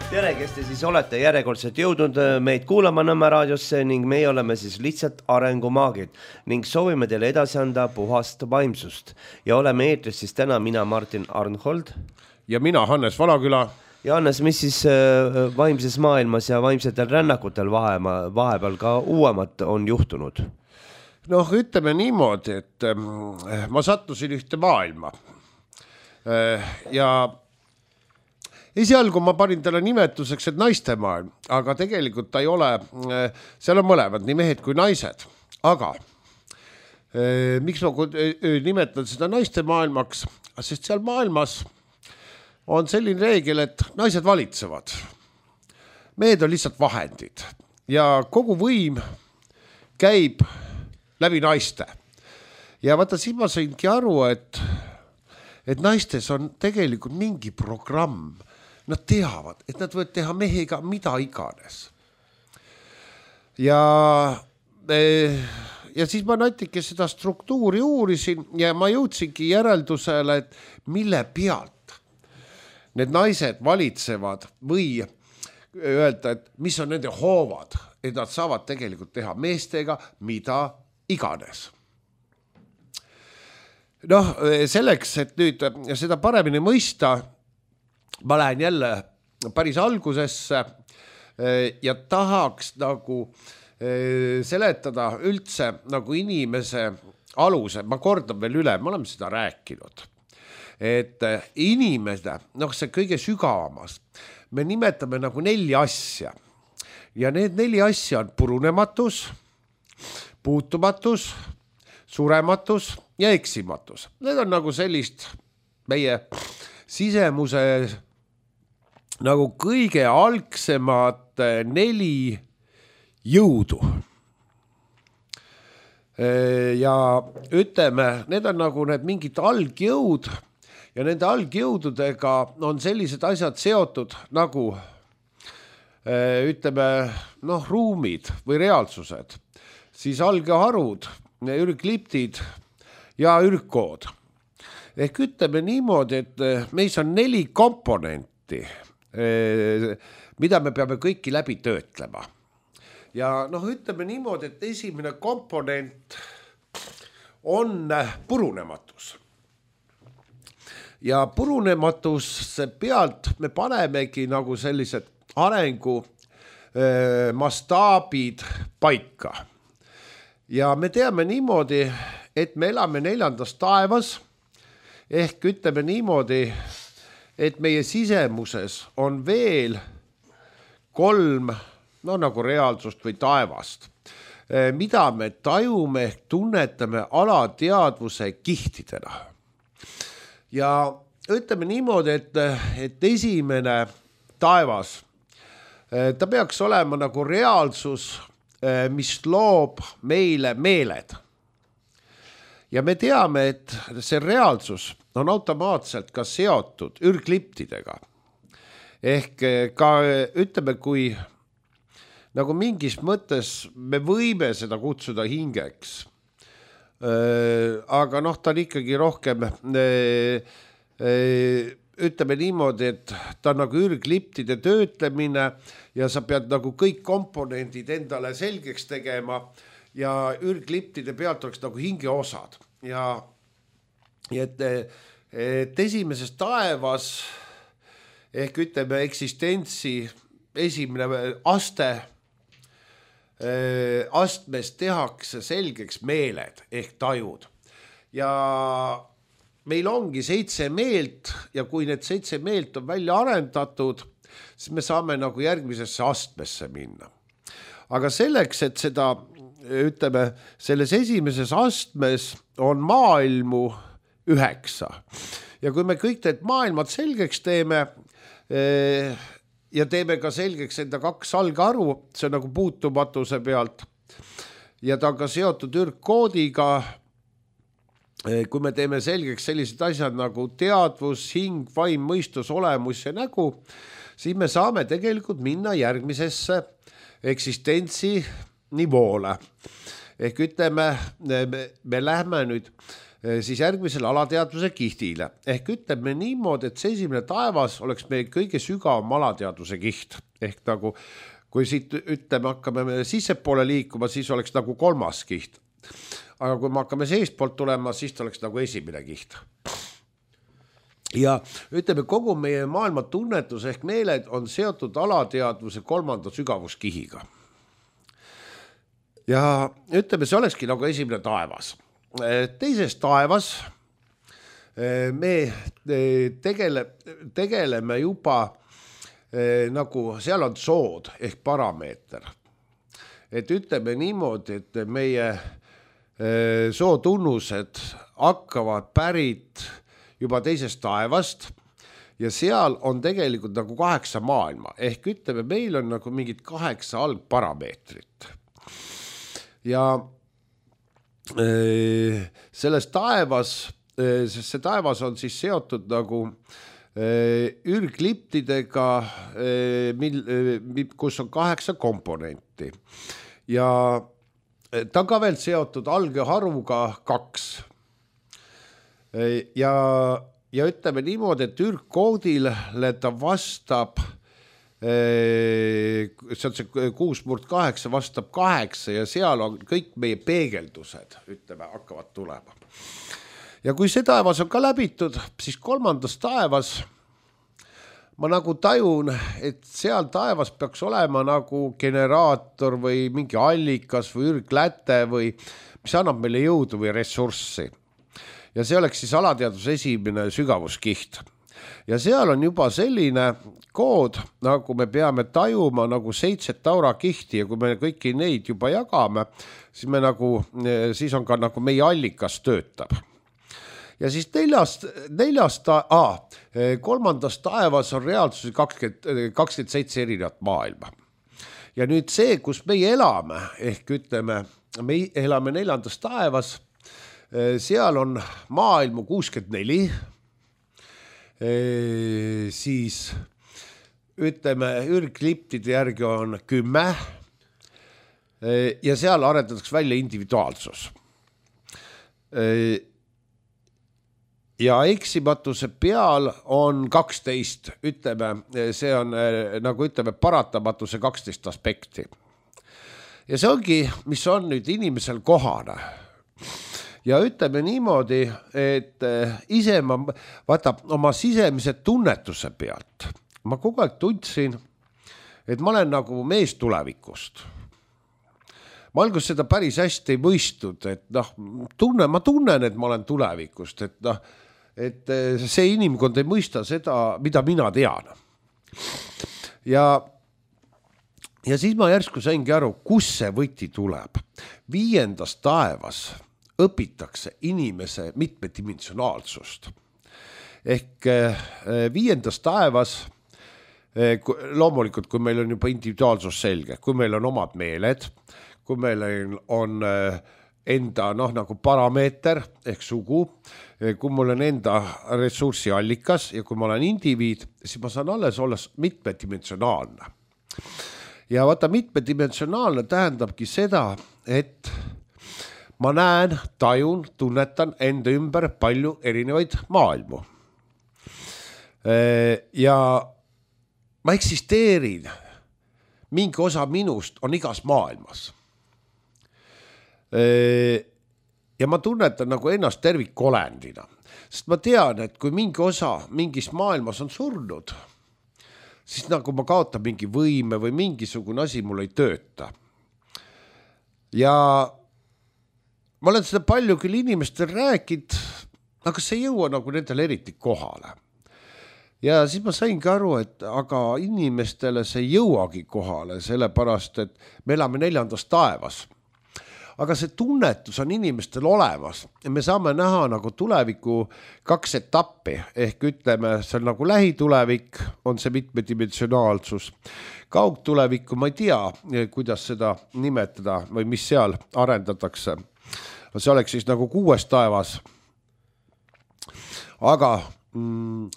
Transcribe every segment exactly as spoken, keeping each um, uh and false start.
Tere, kes te siis olete järjekordselt jõudnud meid kuulama Nõmme raadiosse ning meie oleme siis lihtsalt arengumaagid ning soovime teile edasi anda puhast vaimsust. Ja oleme eetris siis täna mina Martin Arnhold. Ja mina Hannes Valaküla. Ja Hannes, mis siis vaimses maailmas ja vaimsetel rännakutel vahepeal ka uuemat on juhtunud? Noh, ütleme niimoodi, et ma sattusin ühte maailma ja esialgu ma panin talle nimetuseks, et naiste maailm, aga tegelikult ta ei ole, seal on mõlemad, nii mehed kui naised. Aga miks ma nimetan seda naiste maailmaks? Sest seal maailmas on selline reegel, et naised valitsevad. Mehed on lihtsalt vahendid ja kogu võim käib läbi naiste. Ja vaata, siin ma saingi aru, et, et naistes on tegelikult mingi programm. Nad teavad, et nad võivad teha mehega mida iganes. Ja, ja siis ma natuke seda struktuuri uurisin ja ma jõudsingi järeldusele, et mille pealt need naised valitsevad või öelda, et mis on nende hoovad, et nad saavad tegelikult teha meestega mida iganes. Noh, selleks, et nüüd seda paremini mõista, ma lähen jälle päris algusesse ja tahaks nagu seletada üldse nagu inimese aluse. Ma kordan veel üle, me oleme seda rääkinud. Et inimene, noh see kõige sügavamas, me nimetame nagu neli asja. Ja need neli asja on purunematus, puutumatus, surematus ja eksimatus. Need on nagu sellist meie sisemuse nagu kõige algsemad neli jõudu. Ja ütleme, need on nagu need mingid algjõud ja nende algjõududega on sellised asjad seotud nagu ütleme, noh, ruumid või reaalsused, siis algeharud, ürgliptid ja ürgkood. Ehk ütleme niimoodi, et meis on neli komponenti, mida me peame kõiki läbi töötlema. Ja noh, ütleme niimoodi, et esimene komponent on purunematus. Ja purunematus pealt me panemegi nagu sellised arengu mastaabid paika. Ja me teame niimoodi, et me elame neljandas taevas, ehk ütleme niimoodi, et meie sisemuses on veel kolm, no nagu reaalsust või taevast, mida me tajume, tunnetame alateadvuse kihtidena. Ja ütleme niimoodi, et, et esimene taevas, ta peaks olema nagu reaalsus, mis loob meile meeled. Ja me teame, et see reaalsus on automaatselt ka seotud ürgliptidega. Ehk ka ütleme, kui nagu mingis mõttes me võime seda kutsuda hingeks, aga noh, ta on ikkagi rohkem, ütleme niimoodi, et ta on nagu ürgliptide töötlemine ja sa pead nagu kõik komponendid endale selgeks tegema ja ürgliptide pealt oleks nagu hingeosad. Ja, ja et, et esimeses taevas ehk ütleme eksistentsi esimene aste astmes tehakse selgeks meeled ehk tajud. Ja meil ongi seitse meelt ja kui need seitse meelt on välja arendatud, siis me saame nagu järgmisesse astmesse minna. Aga selleks, et seda, ütleme, selles esimeses astmes on maailmu üheksa. Ja kui me kõik need maailmad selgeks teeme, ja teeme ka selgeks enda kaks algaru, see on nagu puutumatuse pealt. Ja ta on ka seotud ürgkoodiga, kui me teeme selgeks sellised asjad nagu teadvus, hing, vaim, mõistus, olemus ja nägu, siis me saame tegelikult minna järgmisesse eksistentsi nivoole. Ehk ütleme, me, me lähme nüüd siis järgmisele alateadvuse kihtile. Ehk ütleme niimoodi, et see esimene taevas oleks meie kõige sügavam alateadvuse kiht. Ehk nagu, kui siit ütleme, hakkame sissepoole liikuma, siis oleks nagu kolmas kiht. Aga kui me hakkame seestpoolt tulema, siis oleks nagu esimene kiht. Ja ütleme, kogu meie maailma tunnetus ehk meeled on seotud alateadvuse kolmanda sügavuskihiga. Ja ütleme, see olekski nagu esimene taevas. Teises taevas me tegele, tegeleme juba nagu seal on sood ehk parameeter. Et ütleme niimoodi, et meie sootunnused hakkavad pärit juba teisest taevast ja seal on tegelikult nagu kaheksa maailma. Ehk ütleme, meil on nagu mingid kaheksa algparameetrit. Ja äh, selles taevas, äh, see taevas on siis seotud nagu äh, ürgliptidega, äh, mil, äh, kus on kaheksa komponenti. Ja ta on ka veel seotud algeharuga kaks. Ja, ja ütleme niimoodi, et ürgkoodile ta vastab, see on see kuus murd kaheksa vastab kaheksa ja seal on kõik meie peegeldused, ütleme, hakkavad tulema. Ja kui see taevas on ka läbitud, siis kolmandas taevas ma nagu tajun, et seal taevas peaks olema nagu generaator või mingi allikas või ürgläte või mis annab meile jõudu või ressurssi. Ja see oleks siis alateadvuse esimene sügavuskiht. Ja seal on juba selline kood, nagu me peame tajuma nagu seitset aurakihti ja kui me kõiki neid juba jagame, siis, me nagu, siis on ka nagu meie allikas töötab. Ja siis neljast, neljast ah, kolmandas taevas on reaalsusi kakskümmend, kakskümmend seitse erinevat maailma. Ja nüüd see, kus meie elame, ehk ütleme, me elame neljandas taevas, seal on maailmu kuuskümmend neli, siis ütleme, ürgliptide järgi on kümme ja seal arendatakse välja individuaalsus. Ja eksimatuse peal on kaksteist, ütleme, see on nagu ütleme paratamatuse kaksteist aspekti. Ja see ongi, mis on nüüd inimesel kohane. Ja ütleme niimoodi, et ise ma vaata oma sisemise tunnetuse pealt. Ma kogu aeg tundsin, et ma olen nagu mees tulevikust. Ma algus seda päris hästi ei mõistnud, et noh, tunne, ma tunnen, et ma olen tulevikust, et noh, et see inimkond ei mõista seda, mida mina tean. Ja, ja siis ma järsku saingi aru, kus see võti tuleb. Viiendas taevas õpitakse inimese mitmedimensionaalsust. Ehk viiendas taevas, loomulikult, kui meil on juba individuaalsus selge, kui meil on omad meeled, kui meil on enda noh, nagu parameeter ehk sugu, kui mul on enda ressursiallikas ja kui ma olen indiviid, siis ma saan alles olla mitmedimensionaalne. Ja vaata, mitmedimensionaalne tähendabki seda, et ma näen, tajun, tunnetan enda ümber palju erinevaid maailmu. Ja ma eksisteerin, mingi osa minust on igas maailmas. Ja ma tunnetan nagu ennast tervikolendina, sest ma tean, et kui mingi osa mingis maailmas on surnud, siis nagu ma kaotan mingi võime või mingisugune asi mul ei tööta. Ja ma olen seda palju küll inimestel rääkinud, aga see ei jõua nagu nendele eriti kohale. Ja siis ma saingi aru, et aga inimestele see ei jõuagi kohale, sellepärast, et me elame neljandas taevas. Aga see tunnetus on inimestel olemas ja me saame näha nagu tuleviku kaks etappi, ehk ütleme, see on nagu lähitulevik, on see mitmedimensionaalsus. Kaugtulevikku ma ei tea, kuidas seda nimetada või mis seal arendatakse. See oleks siis nagu kuues taevas. Aga mm,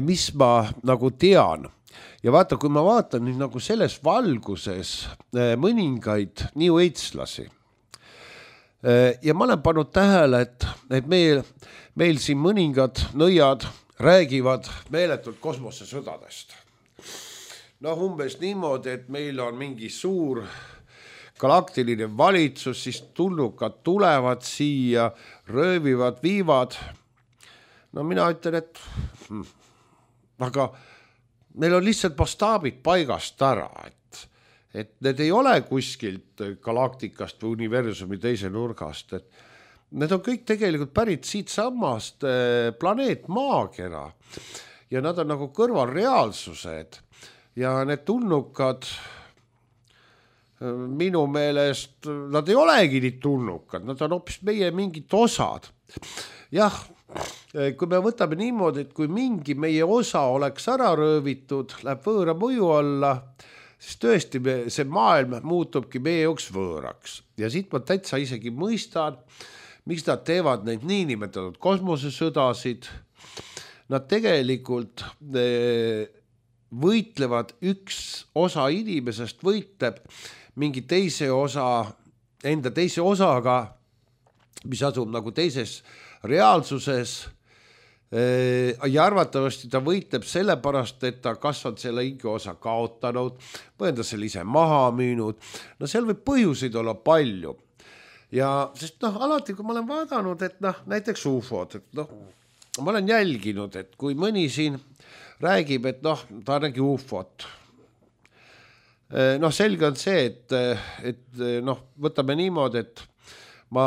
mis ma nagu tean, ja vaata, kui ma vaatan nüüd nagu selles valguses mõningaid New Age'lasi, ja ma olen pannud tähele, et, et meil, meil siin mõningad nõiad räägivad meeletult kosmosesõdadest. Noh, umbes niimoodi, et meil on mingi suur galaktiline valitsus, siis tulnukad tulevad siia, röövivad, viivad. No mina ütlen, et hm, aga meil on lihtsalt mastaabid paigast ära, et, et need ei ole kuskilt galaktikast või universumi teise nurgast, et need on kõik tegelikult pärit siit samast planeet Maakera ja nad on nagu kõrvalreaalsused ja need tulnukad minu meelest, nad ei olegi nii tulnukad, nad on hoopis meie mingid osad. Jah, kui me võtame niimoodi, et kui mingi meie osa oleks ära röövitud, läheb võõra mõju alla, siis tõesti me, see maailm muutubki meie jaoks võõraks. Ja siit ma täitsa isegi mõistan, miks nad teevad neid niinimetatud kosmosesõdasid. Nad tegelikult võitlevad, üks osa inimesest võitleb mingi teise osa, enda teise osaga, mis asub nagu teises reaalsuses ja arvatavasti ta võitleb selle pärast, et ta kas on selle ingi osa kaotanud või on ta selle ise maha müünud. No seal võib põhjuseid olla palju. Ja sest noh, alati kui ma olen vaadanud, et noh, näiteks ufod, et noh, ma olen jälginud, et kui mõni siin räägib, et noh, ta nägi ufot. Noh, selge on see, et, et noh, võtame niimoodi, et ma,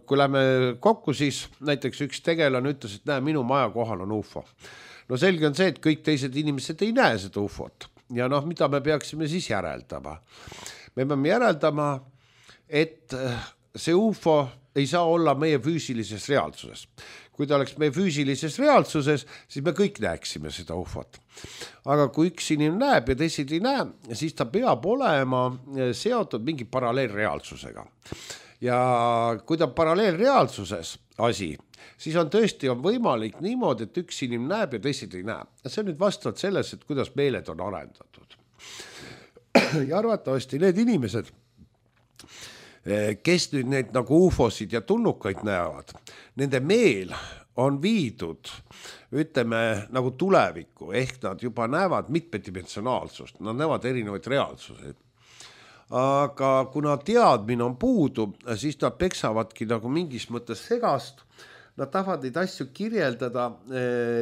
kui lähme kokku, siis näiteks üks tegelane ütles, et näe, minu maja kohal on ufo. No selge on see, et kõik teised inimesed ei näe seda ufot. Ja noh, mida me peaksime siis järeldama? Me peame järeldama, et see ufo ei saa olla meie füüsilises reaalsuses. Kui ta oleks meie füüsilises reaalsuses, siis me kõik näeksime seda ufot. Aga kui üks inimene näeb ja teised ei näe, siis ta peab olema seotud mingi paralleelreaalsusega. Ja kui ta paralleelreaalsuses asi, siis on tõesti on võimalik niimoodi, et üks inimene näeb ja teised ei näe. Ja see on nüüd vastavalt selles, et kuidas meeled on arendatud. Ja arvatavasti need inimesed, kes nüüd need nagu ufosid ja tulnukaid näevad, nende meel on viidud, ütleme, nagu tulevikku, ehk nad juba näevad mitmedimensionaalsust, nad näevad erinevaid reaalsuseid. Aga kuna teadmine on puudu, siis nad peksavadki nagu mingis mõttes segast, nad tahavad neid asju kirjeldada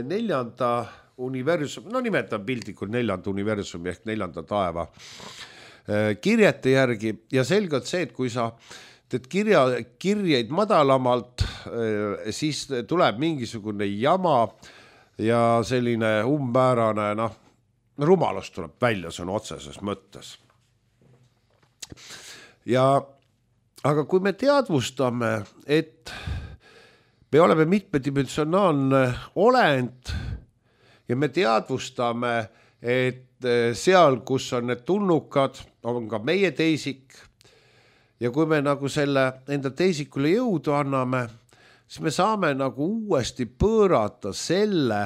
neljanda universumi, no nimetan pildikult neljanda universumi ehk neljanda taeva kirjete järgi ja selgelt see, et kui sa teed kirja, kirjeid madalamalt, siis tuleb mingisugune jama ja selline ummäärane, noh, rumalus tuleb välja, see on otseses mõttes. Ja, aga kui me teadvustame, et me oleme mitmedimensionaalne olend ja me teadvustame, et seal, kus on need tulnukad, on ka meie teisik ja kui me nagu selle enda teisikule jõudu anname, siis me saame nagu uuesti pöörata selle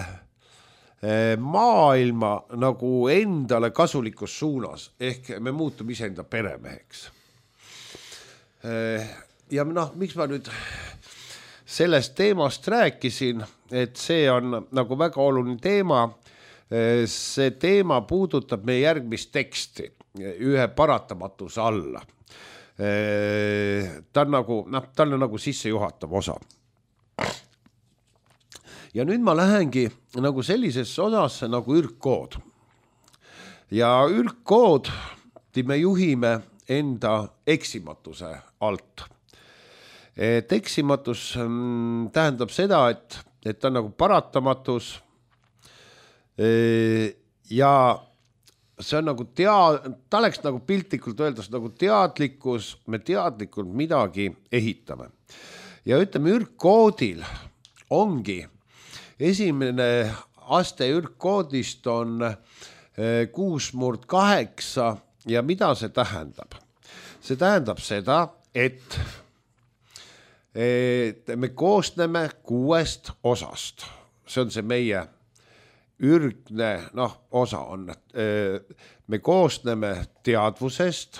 maailma nagu endale kasulikus suunas, ehk me muutume iseenda peremeheks. Ja noh, miks ma nüüd sellest teemast rääkisin, et see on nagu väga oluline teema, see teema puudutab meie järgmist teksti ühe paratamatuse alla. Ta on nagu, noh, ta on nagu sissejuhatav osa. Ja nüüd ma lähengi nagu sellisesse osasse nagu ürgkood. Ja ürgkood me juhime enda eksimatuse alt. Et eksimatus tähendab seda, et, et ta on nagu paratamatus ja see on nagu tea-, ta oleks nagu piltlikult öeldes nagu teadlikkus, me teadlikult midagi ehitame. Ja ütleme, ürgkoodil ongi, esimene aste ürgkoodist on kuus murd kaheksa ja mida see tähendab? See tähendab seda, et, et me koosneme kuuest osast. See on see meie ürgne, noh, osa on, me koosneme teadvusest,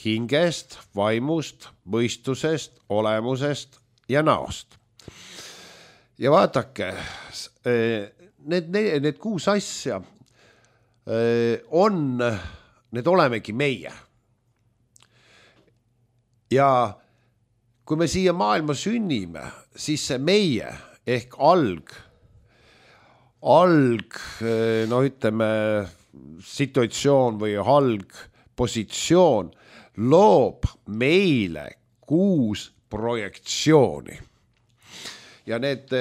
hingest, vaimust, mõistusest, olemusest ja näost. Ja vaadake, need, need, need kuus asja on, need olemegi meie. Ja kui me siia maailma sünnime, siis see meie ehk alg, alg, no ütleme, situatsioon või alg positsioon loob meile kuus projektsiooni. Ja need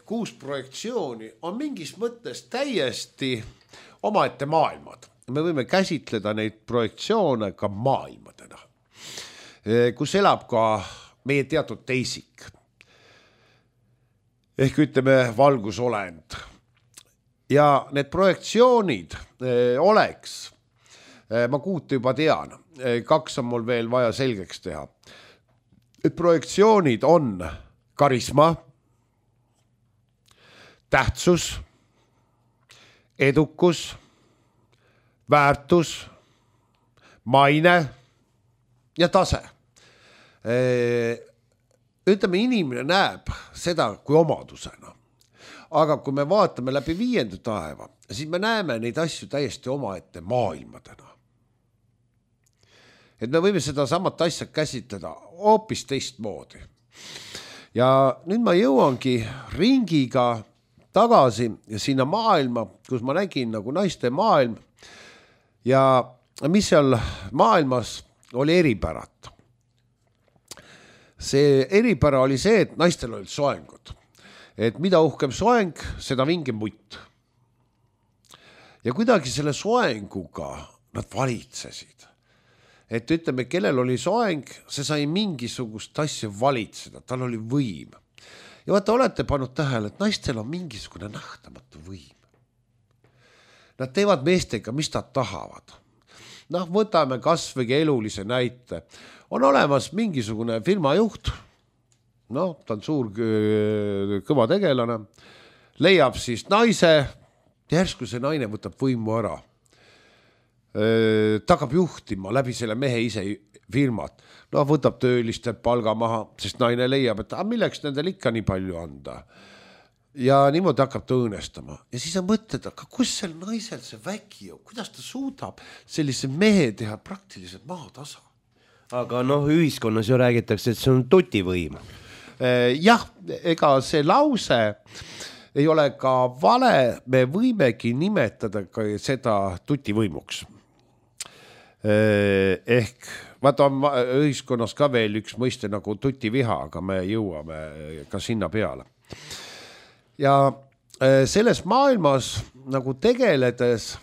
kuus projektsiooni on mingis mõttes täiesti omaette maailmad. Me võime käsitleda neid projektsioone ka maailmadena, kus elab ka meie teatud teisik. Ehk ütleme valgusolend. Ja need projektsioonid oleks, ma kuute juba tean, kaks on mul veel vaja selgeks teha. Et projektsioonid on karisma, tähtsus, edukus, väärtus, maine ja tase. Ütleme, inimene näeb seda kui omadusena. Aga kui me vaatame läbi viienda taeva, siis me näeme neid asju täiesti omaette maailmadena. Et me võime seda samat asja käsitleda hoopis teistmoodi. Ja nüüd ma jõuangi ringiga tagasi ja sinna maailma, kus ma nägin nagu naiste maailm ja mis seal maailmas oli eripärat. See eripära oli see, et naistel olid soengud. Et mida uhkem soeng, seda vingem mutt. Ja kuidagi selle soenguga nad valitsesid. Et ütleme, kellel oli soeng, see sai mingisugust asja valitseda, tal oli võim. Ja vaata, olete pannud tähele, et naistel on mingisugune nähtamatu võim. Nad teevad meestega, mis nad tahavad. Noh, võtame kasvõi elulise näite. On olemas mingisugune firmajuht, no ta on suur kõva tegelane, leiab siis naise, järsku see naine võtab võimu ära. Ta hakkab juhtima läbi selle mehe ise firmat. No võtab tööliste palga maha, sest naine leiab, et ah, milleks nendel ikka nii palju anda. Ja niimoodi hakkab ta õõnestama. Ja siis on mõtled, aga kus sel naisel see vägi on? Kuidas ta suudab sellise mehe teha praktiliselt maatasa? Aga noh, ühiskonnas ju räägitakse, et see on tutivõim. Jah, ega see lause ei ole ka vale, me võimegi nimetada ka seda tutivõimuks. Ehk vaata on ühiskonnas ka veel üks mõiste nagu tutiviha, aga me jõuame ka sinna peale. Ja selles maailmas nagu tegeledes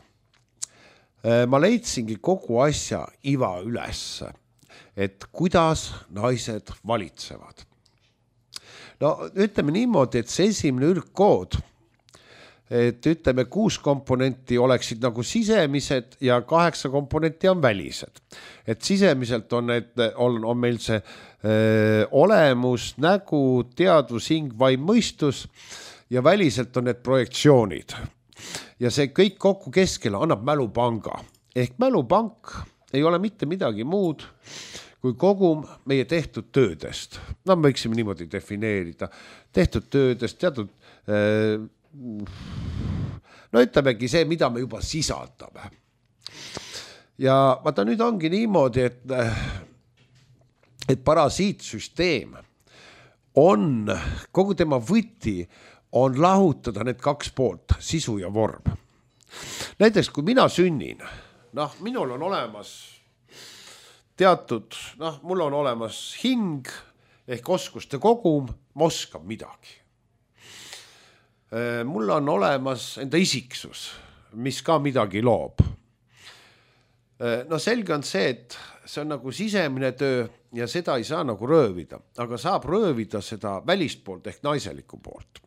ma leidsingi kogu asja iva üles, et kuidas naised valitsevad. No ütleme niimoodi, et see esimene ürgkood, et ütleme kuus komponenti oleksid nagu sisemised ja kaheksa komponenti on välised. Et sisemiselt on, need, on, on meil see öö, olemus, nägu, teadvus, hing, vaim, mõistus ja väliselt on need projektsioonid. Ja see kõik kokku keskele annab mälupanga. Ehk mälupank ei ole mitte midagi muud kui kogum meie tehtud töödest. No me võiksime niimoodi defineerida. Tehtud töödest, teatud, no ütlemegi see, mida me juba sisaldame. Ja vaata nüüd ongi niimoodi, et, et parasiitsüsteem on, kogu tema võti on lahutada need kaks poolt, sisu ja vorm. Näiteks, kui mina sünnin, noh, minul on olemas teatud, noh, mul on olemas hing ehk oskuste kogum, ma oskan midagi. Mul on olemas enda isiksus, mis ka midagi loob. No selge on see, et see on nagu sisemine töö ja seda ei saa nagu röövida, aga saab röövida seda välist poolt ehk naiseliku poolt.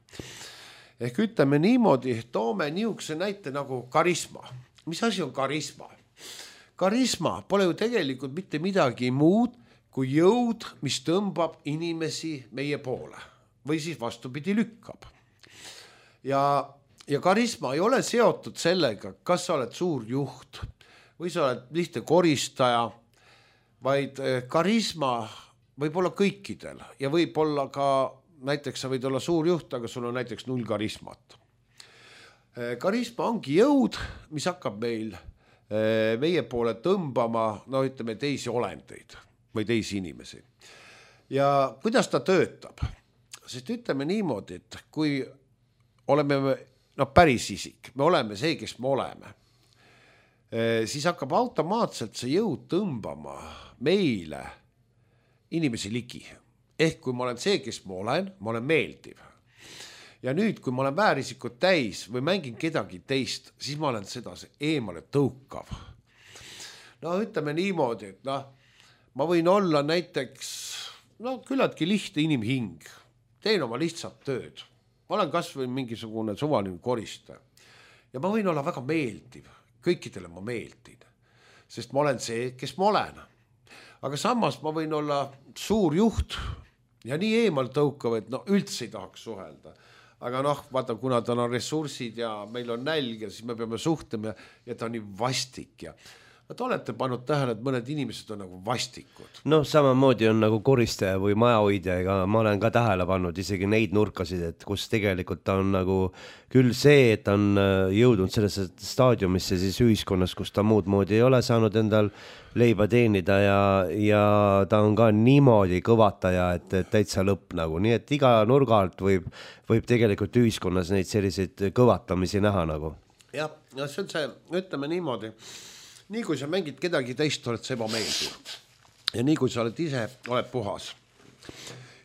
Ehk ütleme niimoodi, toome niisuguse näite nagu karisma. Mis asi on karisma? Karisma pole ju tegelikult mitte midagi muud kui jõud, mis tõmbab inimesi meie poole või siis vastupidi lükkab. Ja, ja karisma ei ole seotud sellega, kas sa oled suur juht või sa oled lihtne koristaja vaid karisma võib olla kõikidel ja võib olla ka, näiteks sa võid olla suur juht, aga sul on näiteks null karismat. Karisma ongi jõud, mis hakkab meil meie poole tõmbama, no ütleme teisi olendeid või teisi inimesi. Ja kuidas ta töötab? Sest ütleme niimoodi, et kui oleme no, päris isik, me oleme see, kes me oleme, siis hakkab automaatselt see jõud tõmbama meile inimesi ligi. Ehk kui ma olen see, kes ma olen, ma olen meeldiv. Ja nüüd, kui ma olen väärisikud täis või mängin kedagi teist, siis ma olen seda eemale tõukav. No ütleme niimoodi, et noh, ma võin olla näiteks no, küllaltki lihtne inimhing. Teen oma lihtsalt tööd. Ma olen kas või mingisugune suvaline koristaja. Ja ma võin olla väga meeldiv. Kõikidele ma meeldin. Sest ma olen see, kes ma olen. Aga samas ma võin olla suur juht ja nii eemal tõukav, et no üldse ei tahaks suhelda. Aga noh, vaata, kuna ta on ressursid ja meil on nälg ja siis me peame suhtlema ja ta on nii vastik. Ja te olete pannud tähele, et mõned inimesed on nagu vastikud. Noh, samamoodi on nagu koristaja või majahoidja, ega ma olen ka tähele pannud isegi neid nurkasid, et kus tegelikult ta on nagu küll see, et ta on jõudnud sellesse staadiumisse siis ühiskonnas, kus ta muud moodi ei ole saanud endal leiba teenida ja, ja ta on ka niimoodi kõvataja, et, et täitsa lõpp nagu. Nii et iga nurga alt võib, võib tegelikult ühiskonnas neid selliseid kõvatamisi näha nagu. Jah, ja see on see, ütleme niimoodi, nii kui sa mängid kedagi teist, oled sa ebameeldiv. Ja nii kui sa oled ise, oled puhas.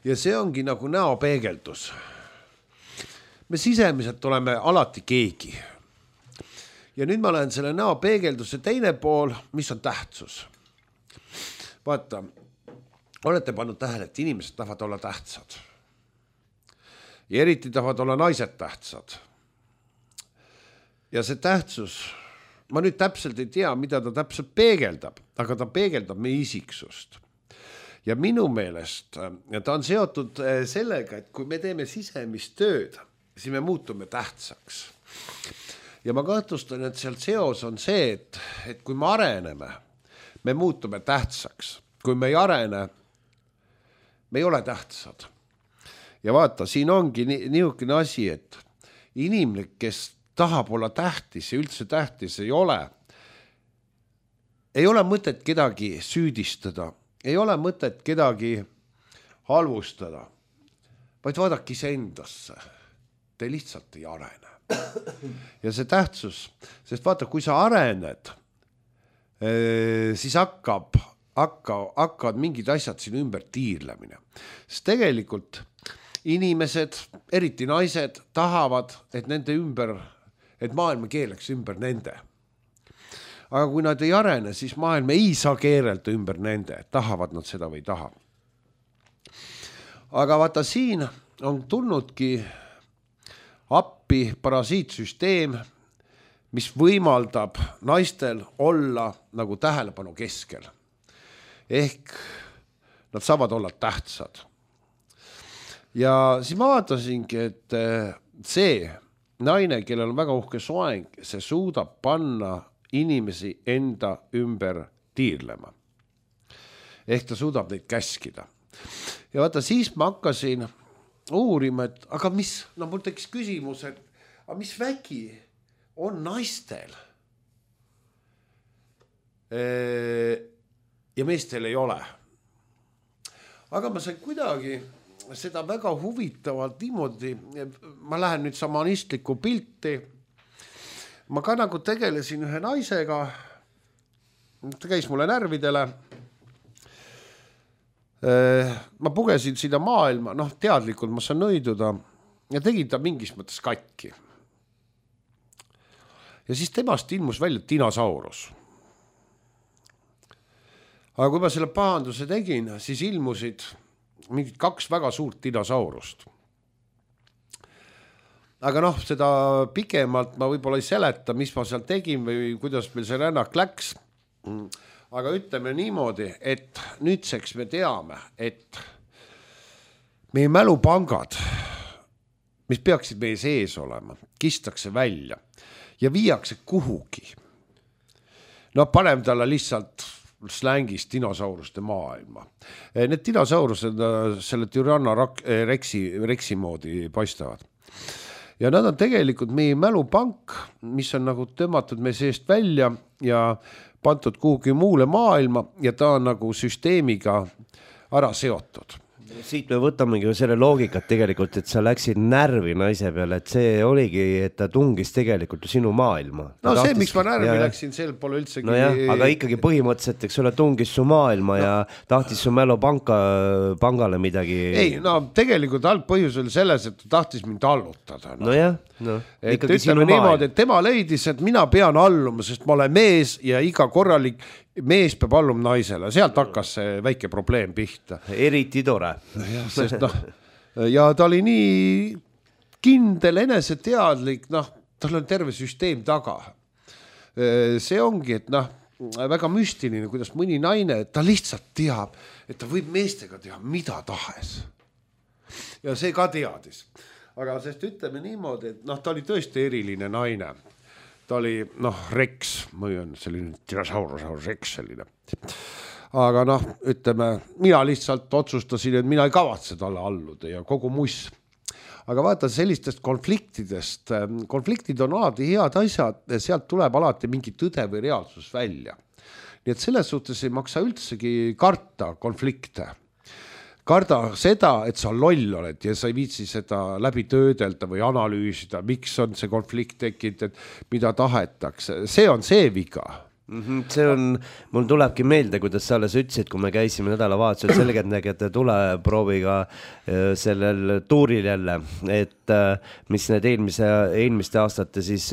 Ja see ongi nagu näopeegeldus. Me sisemiselt oleme alati keegi. Ja nüüd ma lähen selle näopeegelduse teine pool, mis on tähtsus. Vaata, olete pannud tähele, et inimesed tahavad olla tähtsad. Ja eriti tahavad olla naised tähtsad. Ja see tähtsus, ma nüüd täpselt ei tea, mida ta täpselt peegeldab, aga ta peegeldab meie isiksust. Ja minu meelest ja ta on seotud sellega, et kui me teeme sisemist tööd, siis me muutume tähtsaks. Ja ma kahtlustan, et sealt seos on see, et, et kui me areneme, me muutume tähtsaks. Kui me ei arene, me ei ole tähtsad. Ja vaata, siin ongi niisugune asi, et inimlik, kes tahab olla tähtis ja üldse tähtis ei ole, ei ole mõtet kedagi süüdistada, ei ole mõtet kedagi halvustada, vaid vaadake iseendasse. Te lihtsalt ei arene. Ja see tähtsus, sest vaata, kui sa arened, siis hakkab, hakka, hakkavad mingid asjad siin ümber tiirlemine. Sest tegelikult inimesed, eriti naised, tahavad, et nende ümber, et maailma keeleks ümber nende. Aga kui nad ei arene, siis maailma ei saa keerelda ümber nende, tahavad nad seda või taha. Aga vaata, siin on tulnudki appi parasiitsüsteem, mis võimaldab naistel olla nagu tähelepanu keskel. Ehk nad saavad olla tähtsad. Ja siis ma vaatasingi, et see naine, kellel on väga uhke soeng, see suudab panna inimesi enda ümber tiirlema. Ehk ta suudab neid käskida. Ja vaata, siis ma hakkasin uurima, et aga mis, no mul tekkis küsimus, et aga mis vägi on naistel ja meestel ei ole. Aga ma sain kuidagi seda väga huvitavalt niimoodi, ma lähen nüüd samanistlikku pilti, ma ka nagu tegelesin ühe naisega, ta käis mulle närvidele, ma pugesin sinna maailma, noh teadlikult ma saan nõiduda ja tegin ta mingis mõttes katki. Ja siis temast ilmus välja dinosaurus. Aga kui ma selle pahanduse tegin, siis ilmusid mingid kaks väga suurt dinosaurust. Aga noh, seda pikemalt ma võib-olla ei seleta, mis ma seal tegin või kuidas meil see rännak läks. Aga ütleme niimoodi, et nüüdseks me teame, et meie mälupangad, mis peaksid meie sees olema, kistakse välja ja viiakse kuhugi. No paneme talle lihtsalt slängis dinosauruste maailma. Need dinosaurused selle Tyranna rexi, rexi moodi paistavad. Ja nad on tegelikult meie mälupank, mis on nagu tõmmatud meie seest välja ja pandud kuhugi muule maailma ja ta on nagu süsteemiga ära seotud. Siit me võtamegi selle loogikat tegelikult, et sa läksid närvi naise peale, et see oligi, et ta tungis tegelikult sinu maailma. No ta see, tahtis, miks ma närvi ja, läksin, see pole üldsegi... No jah, aga ikkagi põhimõtteliselt, eks ole, tungis su maailma no. ja tahtis su mälu panka, pangale midagi... Ei, no tegelikult algpõhjus oli selles, et ta tahtis mind allutada. No, no jah, no. Et ütleme niimoodi, et tema leidis, et mina pean alluma, sest ma olen mees ja iga korralik mees peab alluma naisele, sealt hakkas see väike probleem pihta. Eriti tore. Ja, sest, no, ja ta oli nii kindel, eneseteadlik, noh, tal on terve süsteem taga. See ongi, et noh, väga müstiline, kuidas mõni naine, ta lihtsalt teab, et ta võib meestega teha mida tahes. Ja see ka teadis. Aga sest ütleme niimoodi, et noh, ta oli tõesti eriline naine. Ta oli, noh, Rex, või on selline dinosaurus, Rex selline. Aga noh, ütleme, mina lihtsalt otsustasin, et mina ei kavatse talle alluda ja kogu muss. Aga vaata sellistest konfliktidest, konfliktid on alati head asjad, sealt tuleb alati mingi tõde või reaalsus välja. Nii et selles suhtes ei maksa üldsegi karta konflikte. Karda seda, et sa loll oled ja sa ei viitsi seda läbi töödelda või analüüsida, miks on see konflikt tekkinud, et mida tahetakse. See on see viga. Mm-hmm. See on, mul tulebki meelde, kuidas sa alles ütlesid, kui me käisime nädalavahetusel selgeltnägijate tuleprooviga sellel tuuril jälle, et mis need eelmise, eelmiste aastate siis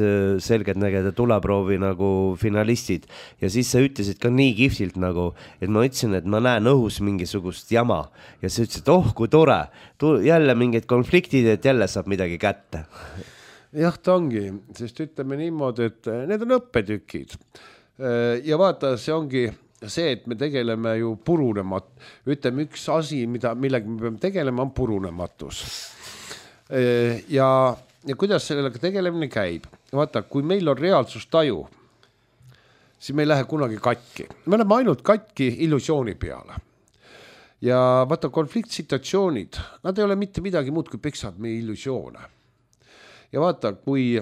selgeltnägijate tuleproovi nagu finalistid ja siis sa ütlesid ka nii kihvtilt nagu, et ma ütlesin, et ma näen õhus mingisugust jama ja sa ütlesid, oh kui tore, jälle mingid konfliktid, et jälle saab midagi kätte. Jah, ta ongi, sest ütleme niimoodi, et need on õppetükid. Ja vaata, see ongi see, et me tegeleme ju purunemat. Ütleme, üks asi, mida, millega me peame tegelema, on purunematus. Ja, ja kuidas sellega tegelemine käib? Vaata, kui meil on reaalsustaju, siis me ei lähe kunagi katki. Me oleme ainult katki illusiooni peale. Ja vaata, konfliktsituatsioonid, nad ei ole mitte midagi muud, kui peksavad meie illusioone. Ja vaata, kui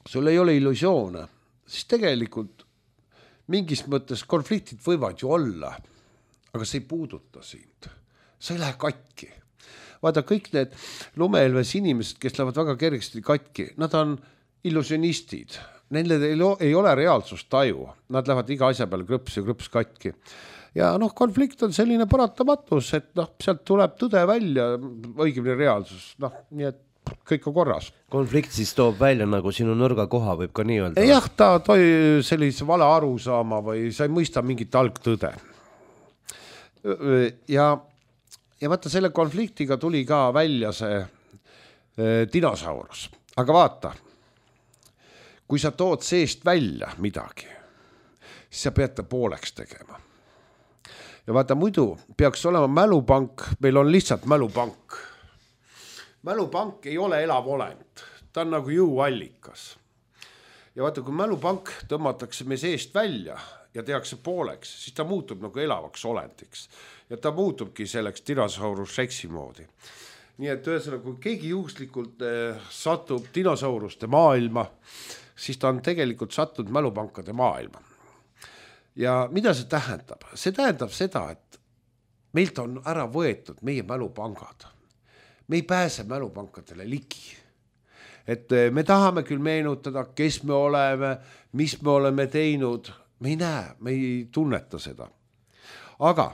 sul ei ole illusioone, siis tegelikult mingis mõttes konfliktid võivad ju olla, aga see ei puuduta sind. Sa ei lähe katki. Vaata, kõik need lumeelves inimesed, kes lähevad väga kergesti katki, nad on illusionistid. Neile ei ole reaalsustaju. Nad lähevad iga asja peale krõps ja krõps katki. Ja noh, konflikt on selline paratamatus, et noh, sealt tuleb tõde välja, õigemini reaalsus. Noh, nii et kõik on korras. Konflikt siis toob välja nagu sinu nõrga koha, võib ka nii öelda? Jah, ta toi sellise vale aru saama või sa ei mõista mingit algtõde. Ja, ja vaata, selle konfliktiga tuli ka välja see e, dinosaurus. Aga vaata, kui sa tood seest välja midagi, siis sa pead ta pooleks tegema. Ja vaata, muidu peaks olema mälupank, meil on lihtsalt mälupank. Mälupank ei ole elav olend, ta on nagu jõuallikas. Ja vaata, kui mälupank tõmmatakse me seest välja ja tehakse pooleks, siis ta muutub nagu elavaks olendiks. Ja ta muutubki selleks dinosaurus reksi moodi. Nii et ühesõnaga, kui keegi juhuslikult eh, satub dinosauruste maailma, siis ta on tegelikult sattunud mälupankade maailma. Ja mida see tähendab? See tähendab seda, et meilt on ära võetud meie mälupangad. Me ei pääse mälupankadele ligi. Et me tahame küll meenutada, kes me oleme, mis me oleme teinud. Me ei näe, me ei tunneta seda. Aga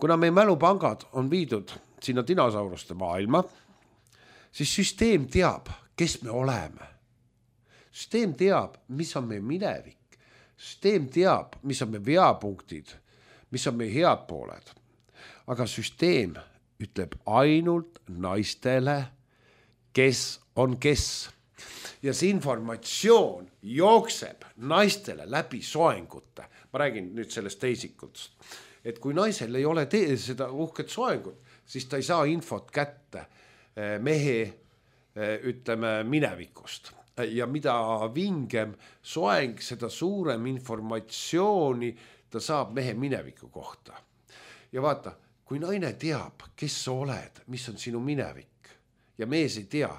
kuna meie mälupangad on viidud sinna dinosauruste maailma, siis süsteem teab, kes me oleme. Süsteem teab, mis on meie minevik. Süsteem teab, mis on meie veapunktid, mis on meie head pooled. Aga süsteem ütleb ainult naistele, kes on kes. Ja see informatsioon jookseb naistele läbi soengute. Ma räägin nüüd sellest teisikutest. Et kui naisel ei ole te- seda uhket soengut, siis ta ei saa infot kätte mehe, ütleme, minevikust. Ja mida vingem soeng, seda suurem informatsiooni ta saab mehe mineviku kohta. Ja vaata, kui naine teab, kes sa oled, mis on sinu minevik ja mees ei tea,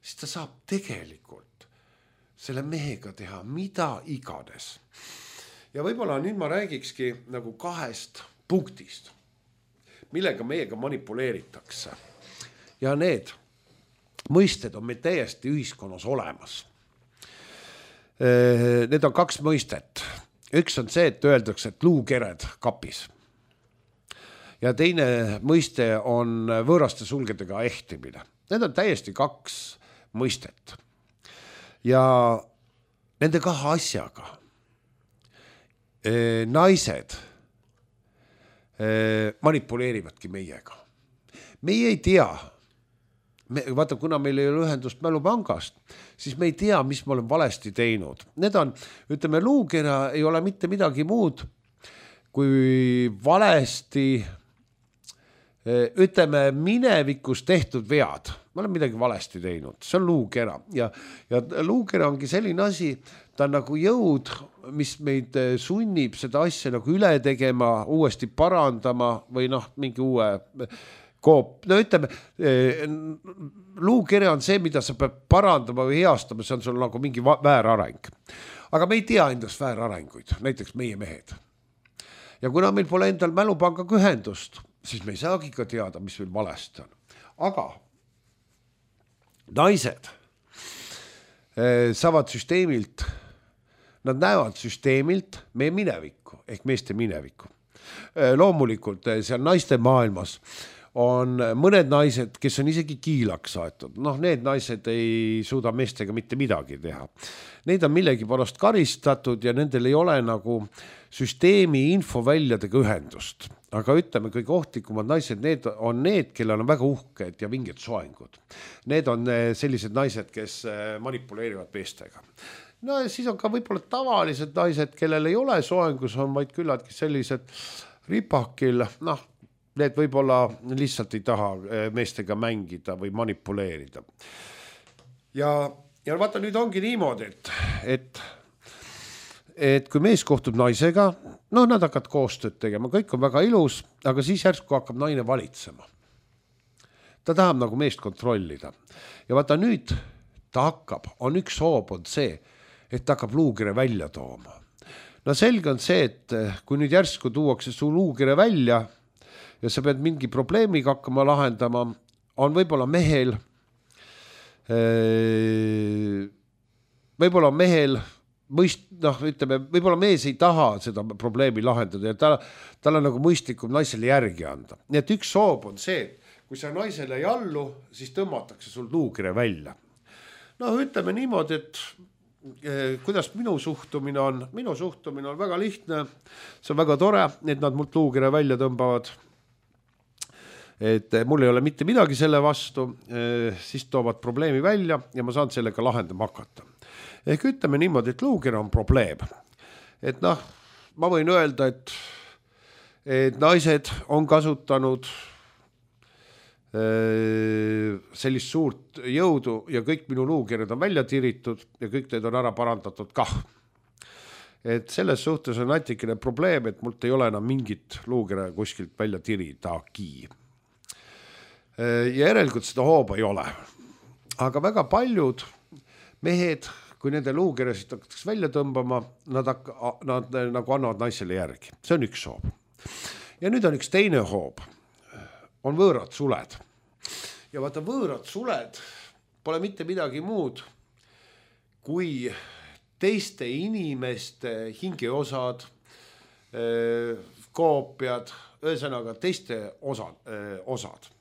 siis ta saab tegelikult selle mehega teha mida iganes. Ja võib-olla nüüd ma räägikski nagu kahest punktist, millega meiega manipuleeritakse. Ja need mõisted on meil täiesti ühiskonnas olemas. Need on kaks mõistet. Üks on see, et öeldakse, et luukered kapis. Ja teine mõiste on võõraste sulgedega ehtimine. Need on täiesti kaks mõistet. Ja nende kahe asjaga naised manipuleerivadki meiega. Meie ei tea, me, vaata, kuna meil ei ole ühendust mälupangast, siis me ei tea, mis me oleme valesti teinud. Need on, ütleme, luukera ei ole mitte midagi muud, kui valesti, ütleme, minevikus tehtud vead. Ma olen midagi valesti teinud, see on luukera. Ja, ja luukera ongi selline asi, ta on nagu jõud, mis meid sunnib seda asja nagu üle tegema, uuesti parandama või noh, mingi uue koop. No ütleme, luukere on see, mida sa pead parandama või heastama, see on sul nagu mingi väärareng. Aga me ei tea endast väärarenguid, näiteks meie mehed. Ja kuna meil pole endal mälupangaga ühendust, siis me ei saagi ka teada, mis meil valesti on. Aga naised saavad süsteemilt, nad näevad süsteemilt meie minevikku, ehk meeste minevikku. Loomulikult seal naiste maailmas on mõned naised, kes on isegi kiilaks saetud. Noh, need naised ei suuda meestega mitte midagi teha. Neid on millegi pärast karistatud ja nendel ei ole nagu süsteemi infoväljadega ühendust. Aga ütleme, kõige ohtlikumad naised, need on need, kellel on väga uhked ja vinged soengud. Need on sellised naised, kes manipuleerivad meestega. No ja siis on ka võib-olla tavalised naised, kellel ei ole soengus, on vaid küllaltki sellised ripakil, noh, need võib-olla lihtsalt ei taha meestega mängida või manipuleerida. Ja, ja vaata, nüüd ongi niimoodi, et, et, et kui mees kohtub naisega, noh, nad hakkavad koostööd tegema, kõik on väga ilus, aga siis järsku hakkab naine valitsema. Ta tahab nagu meest kontrollida. Ja vaata nüüd ta hakkab, on üks hoob on see, et ta hakkab luukere välja tooma. No selge on see, et kui nüüd järsku tuuakse su luukere välja, ja sa pead mingi probleemiga hakkama lahendama, on võib-olla mehel, võib-olla mehel, mõist, noh, ütleme, võib-olla mees ei taha seda probleemi lahendada ja ta, tal on nagu mõistlikum naisele järgi anda. Nii et üks soob on see, kui sa naisele ei allu, siis tõmmatakse sul luukere välja. No ütleme niimoodi, et kuidas minu suhtumine on, minu suhtumine on väga lihtne, see on väga tore, et nad mult luukere välja tõmbavad. Et mul ei ole mitte midagi selle vastu, siis toovad probleemi välja ja ma saan sellega lahendama hakata. Ehk ütleme niimoodi, et luukere on probleem. Et noh, ma võin öelda, et, et naised on kasutanud sellist suurt jõudu ja kõik minu luukered on välja tiritud ja kõik need on ära parandatud kah. Et selles suhtes on natikene probleem, et mult ei ole enam mingit luukere kuskilt välja tiridagi. Ja järelikult seda hooba ei ole. Aga väga paljud mehed, kui nende luukeresid hakatakse välja tõmbama, nad, hakka, nad nagu annavad naisele järgi. See on üks hoob. Ja nüüd on üks teine hoob. On võõrad suled. Ja vaata, võõrad suled pole mitte midagi muud kui teiste inimeste hingeosad, koopiad, ühesõnaga teiste osad, osad.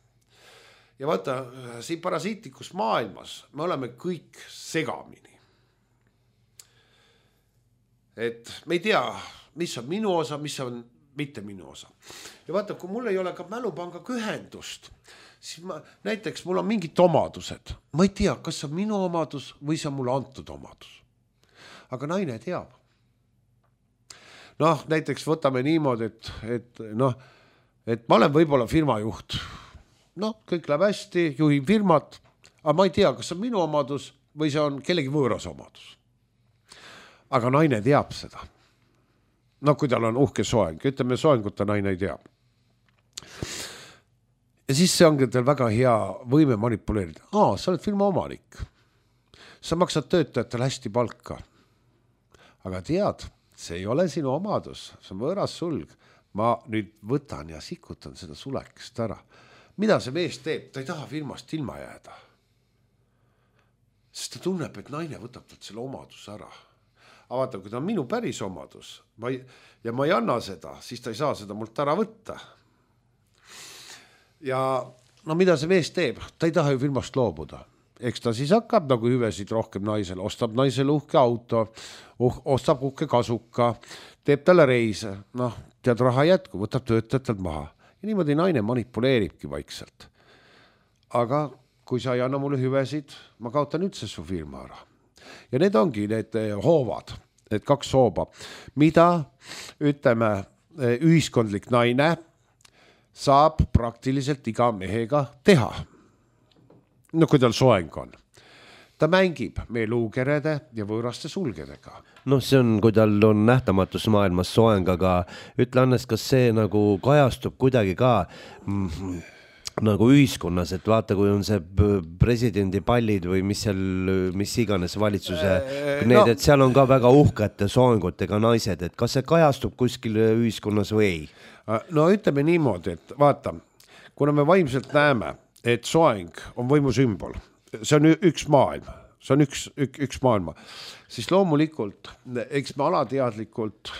Ja vaata, siin parasiitlikus maailmas me oleme kõik segamini. Et me ei tea, mis on minu osa, mis on mitte minu osa. Ja vaata, kui mul ei ole ka mälupangaga ühendust, siis ma, näiteks mul on mingid omadused. Ma ei tea, kas see on minu omadus või see on mulle antud omadus. Aga naine teab. Noh, näiteks võtame niimoodi, et, et, noh, et ma olen võib-olla firma juht. Noh, kõik läheb hästi, juhin firmat, aga ma ei tea, kas see on minu omadus või see on kellegi võõras omadus. Aga naine teab seda. no kui tal on uhke soeng, ütleme soengut ta naine ei tea. Ja siis see ongi teil väga hea võime manipuleerida. Aa, sa oled firma omanik. Sa maksad töötajatele hästi palka. Aga tead, see ei ole sinu omadus, see on võõras sulg. Ma nüüd võtan ja sikutan seda sulekest ära. Mida see mees teeb? Ta ei taha firmast ilma jääda. Sest ta tunneb, et naine võtab talt selle omadus ära. Aga vaata, kui ta on minu päris omadus ma ei, ja ma ei anna seda, siis ta ei saa seda mult ära võtta. Ja no mida see mees teeb? Ta ei taha ju firmast loobuda. Eks ta siis hakkab nagu hüvesid rohkem naisele, ostab naisele uhke auto, uh, ostab uhke kasuka, teeb talle reise, noh, tead raha jätku, võtab töötajatelt maha. Ja niimoodi naine manipuleeribki vaikselt. Aga kui sa ei anna mulle hüvesid, ma kaotan üldse su firma ära. Ja need ongi need hoovad, need kaks hooba, mida ütleme ühiskondlik naine saab praktiliselt iga mehega teha. No kui tal soeng on. Ta mängib meie luukerede ja võõraste sulgedega. No see on, kui tal on nähtamatus maailmas soeng, aga ütle Annes, kas see nagu kajastub kuidagi ka mm, nagu ühiskonnas, et vaata, kui on see presidendi pallid või mis seal, mis iganes valitsuse, need, no, et seal on ka väga uhkete soengutega naised, et kas see kajastub kuskil ühiskonnas või ei? No ütleme niimoodi, et vaata, kuna me vaimselt näeme, et soeng on võimu sümbol, see on üks maailm, see on üks, üks, üks maailma, siis loomulikult, eks me alateadlikult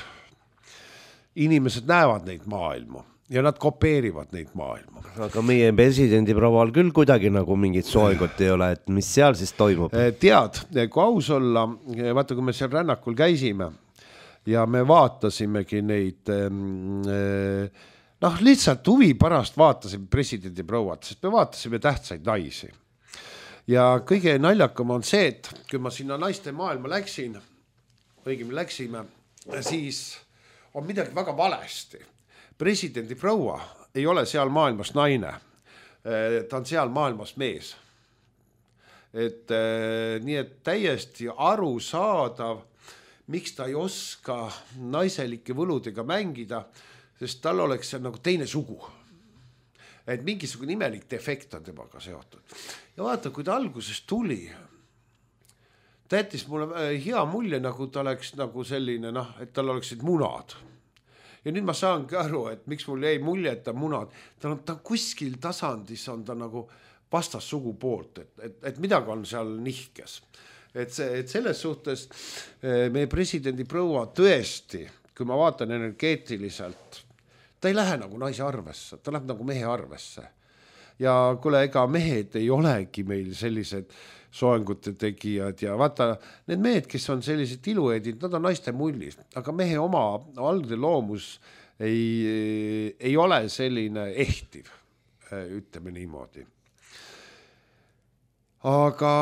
inimesed näevad neid maailmu ja nad kopeerivad neid maailmu. Aga meie presidendi proval küll kuidagi nagu mingit soengut ei ole, et mis seal siis toimub? Tead, kui aus olla, vaata, kui me seal rännakul käisime ja me vaatasimegi neid, noh, lihtsalt huvi pärast vaatasime presidendi prouad, sest me vaatasime tähtsaid naisi. Ja kõige naljakam on see, et kui ma sinna naiste maailma läksin, õigem läksime, siis on midagi väga valesti. Presidendi proua ei ole seal maailmas naine, ta on seal maailmas mees. Et nii, et täiesti arusaadav, miks ta ei oska naiselike võludega mängida, sest tal oleks see nagu teine sugu. Et mingisugune imelik defekt on temaga seotud. Ja vaata, kui ta alguses tuli, ta jättis mulle hea mulje, nagu ta oleks nagu selline, noh, et tal oleksid munad. Ja nüüd ma saangi aru, et miks mul jäi mulje, et ta munad. Ta on, ta on kuskil tasandis, on ta nagu vastas sugu poolt, et, et, et midagi on seal nihkes. Et, see, et selles suhtes meie presidendi proua tõesti, kui ma vaatan energeetiliselt, ta ei lähe nagu naise arvesse, ta läheb nagu mehe arvesse. Ja kuule, ega mehed ei olegi meil sellised soengute tegijad ja vaata, need mehed, kes on sellised iluedid, nad on naiste mullis, aga mehe oma algne loomus ei, ei ole selline ehtiv, ütleme niimoodi. Aga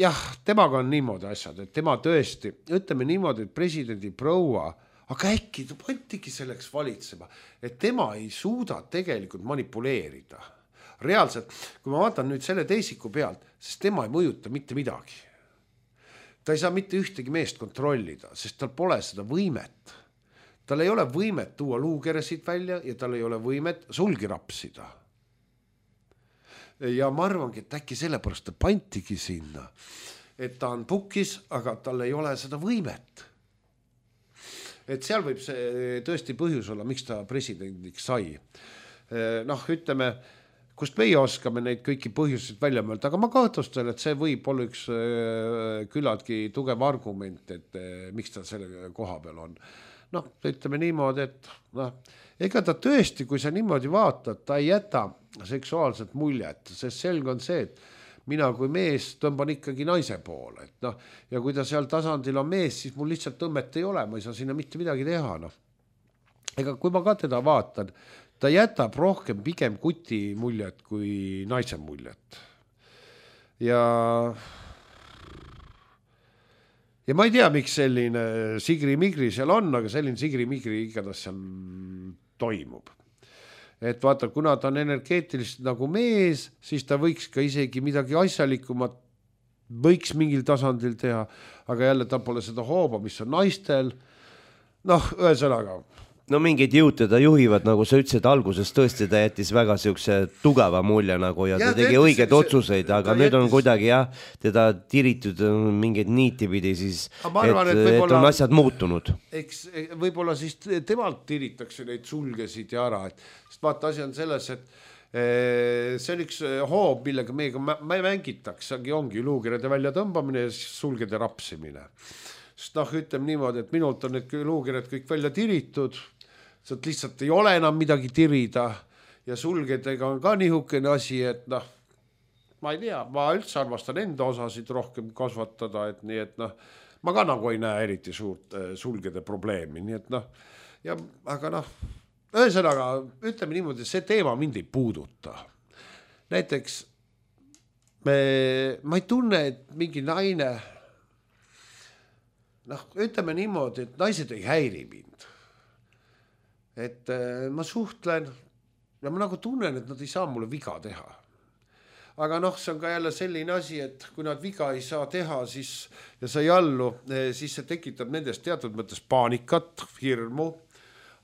jah, temaga on niimoodi asjad, et tema tõesti, ütleme niimoodi, et presidendi proua, aga äkki ta pantigi selleks valitsema, et tema ei suuda tegelikult manipuleerida. Reaalselt, kui ma vaatan nüüd selle teisiku pealt, sest tema ei mõjuta mitte midagi. Ta ei saa mitte ühtegi meest kontrollida, sest tal pole seda võimet. Tal ei ole võimet tuua luukeresid välja ja tal ei ole võimet sulgi rapsida. Ja ma arvangi, et äkki sellepärast ta pantigi sinna, et ta on pukis, aga tal ei ole seda võimet. Et seal võib see tõesti põhjus olla, miks ta presidendiks sai. Noh, ütleme, kust meie oskame neid kõiki põhjuseid välja mõelda, aga ma kahtlustan, et see võib olla üks küllaltki tugev argument, et miks ta selle koha peal on. Noh, ütleme niimoodi, et noh, ega ta tõesti, kui sa niimoodi vaatad, ta ei jäta seksuaalset muljet, sest selge on see, et mina kui mees tõmban ikkagi naise poole. Et noh, ja kui ta seal tasandil on mees, siis mul lihtsalt tõmmet ei ole, ma ei saa sinna mitte midagi teha. Noh. Ega kui ma ka teda vaatan, ta jätab rohkem pigem kuti muljet kui naise muljet. Ja, ja ma ei tea, miks selline sigri-migri seal on, aga selline sigri-migri igatahes seal toimub. Et vaata, kuna ta on energeetiliselt nagu mees, siis ta võiks ka isegi midagi asjalikumat võiks mingil tasandil teha, aga jälle ta pole seda hooba, mis on naistel. noh, ühesõnaga no mingid jõud teda juhivad, nagu sa ütlesid alguses, tõesti ta jättis väga siukse tugeva mulje nagu ja, ja ta tegi õigeid otsuseid, aga nüüd on kuidagi jah, teda tiritud mingeid niiti pidi siis, arvan, et, et, et on asjad muutunud. Eks võib-olla siis temalt tiritakse neid sulgesid ja ära, et sest vaata asi on selles, et see on üks hoob, millega meiega ma ei mängitakse, ongi luukirjade välja tõmbamine ja sulgede rapsimine. Sest noh, ütleme niimoodi, et minult on need luukirjad kõik välja tiritud, sealt lihtsalt ei ole enam midagi tirida ja sulgedega on ka nihukene asi, et noh, ma ei tea, ma üldse armastan enda osasid rohkem kasvatada, et nii, et noh, ma ka nagu ei näe eriti suurt sulgede probleemi, nii et noh, ja aga noh, ühesõnaga, ütleme niimoodi, see teema mind ei puuduta. Näiteks me, ma ei tunne, et mingi naine, noh, ütleme niimoodi, et naised ei häiri mind. Et ma suhtlen ja ma nagu tunnen, et nad ei saa mulle viga teha. Aga noh, see on ka jälle selline asi, et kui nad viga ei saa teha, siis ja sa ei allu, siis see tekitab nendest teatud mõttes paanikat, hirmu.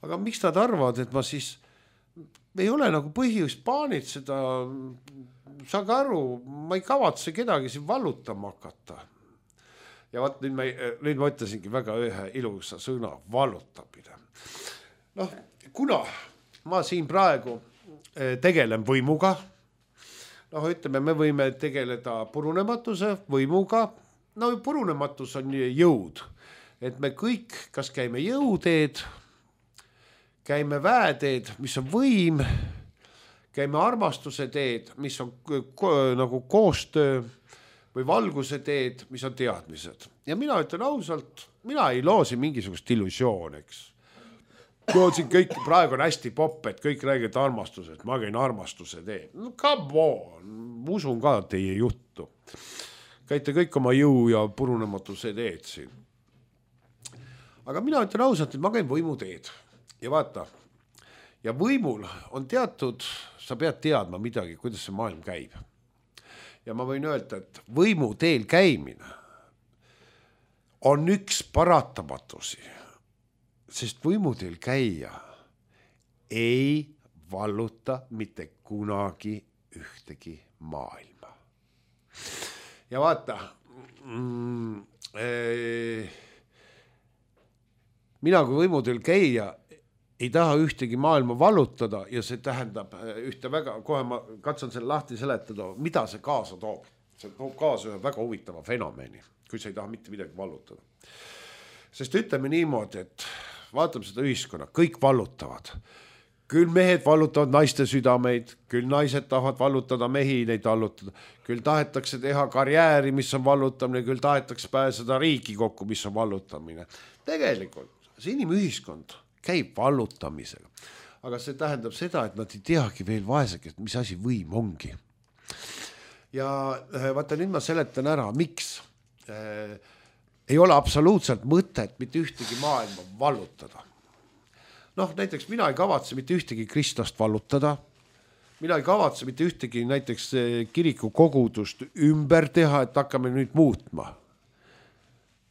Aga miks nad arvavad, et ma siis ei ole nagu põhjust paanitseda, saage aru, ma ei kavatse kedagi siin vallutama hakata. Ja vaat nüüd ma, nüüd ma ütlesingi väga ühe ilusa sõna, vallutamine. Noh, kuna ma siin praegu tegelen võimuga, noh, ütleme, me võime tegeleda purunematuse võimuga, no purunematus on jõud, et me kõik, kas käime jõuteed, käime väeteed, mis on võim, käime armastuse teed, mis on nagu koostöö või valguse teed, mis on teadmised. Ja mina ütlen ausalt, mina ei loosi mingisugust illusiooneks. Siin kõik praegu on hästi popp, et kõik räägid armastusest, ma käin armastuse teed. No come on, usun ka teie juttu. Käite kõik oma jõu ja purunematuse teed siin. Aga mina ütlen ausalt, et ma käin võimu teed. Ja vaata, ja võimul on teatud, sa pead teadma midagi, kuidas see maailm käib. Ja ma võin öelda, et võimu teel käimine on üks paratamatusi, sest võimu teel käia ei valluta mitte kunagi ühtegi maailma. Ja vaata, mm, ee, mina kui võimu teel käia ei taha ühtegi maailma vallutada ja see tähendab ühte väga, kohe ma katsun selle lahti seletada, mida see kaasa toob. See toob kaasa ühe väga huvitava fenomeni, kui sa ei taha mitte midagi vallutada. Sest ütleme niimoodi, et vaatame seda ühiskonna, kõik vallutavad. Küll mehed vallutavad naiste südameid, küll naised tahavad vallutada mehi, neid vallutada. Küll tahetakse teha karjääri, mis on vallutamine, küll tahetakse pääseda riiki kokku, mis on vallutamine. Tegelikult see inimühiskond käib vallutamisega. Aga see tähendab seda, et nad ei teagi veel vaesega, mis asi võim ongi. Ja vaata, nüüd ma seletan ära, miks äh, ei ole absoluutselt mõtet mitte ühtegi maailma vallutada. Noh, näiteks mina ei kavatse mitte ühtegi kristlast vallutada. Mina ei kavatse mitte ühtegi näiteks kiriku kogudust ümber teha, et hakkame nüüd muutma.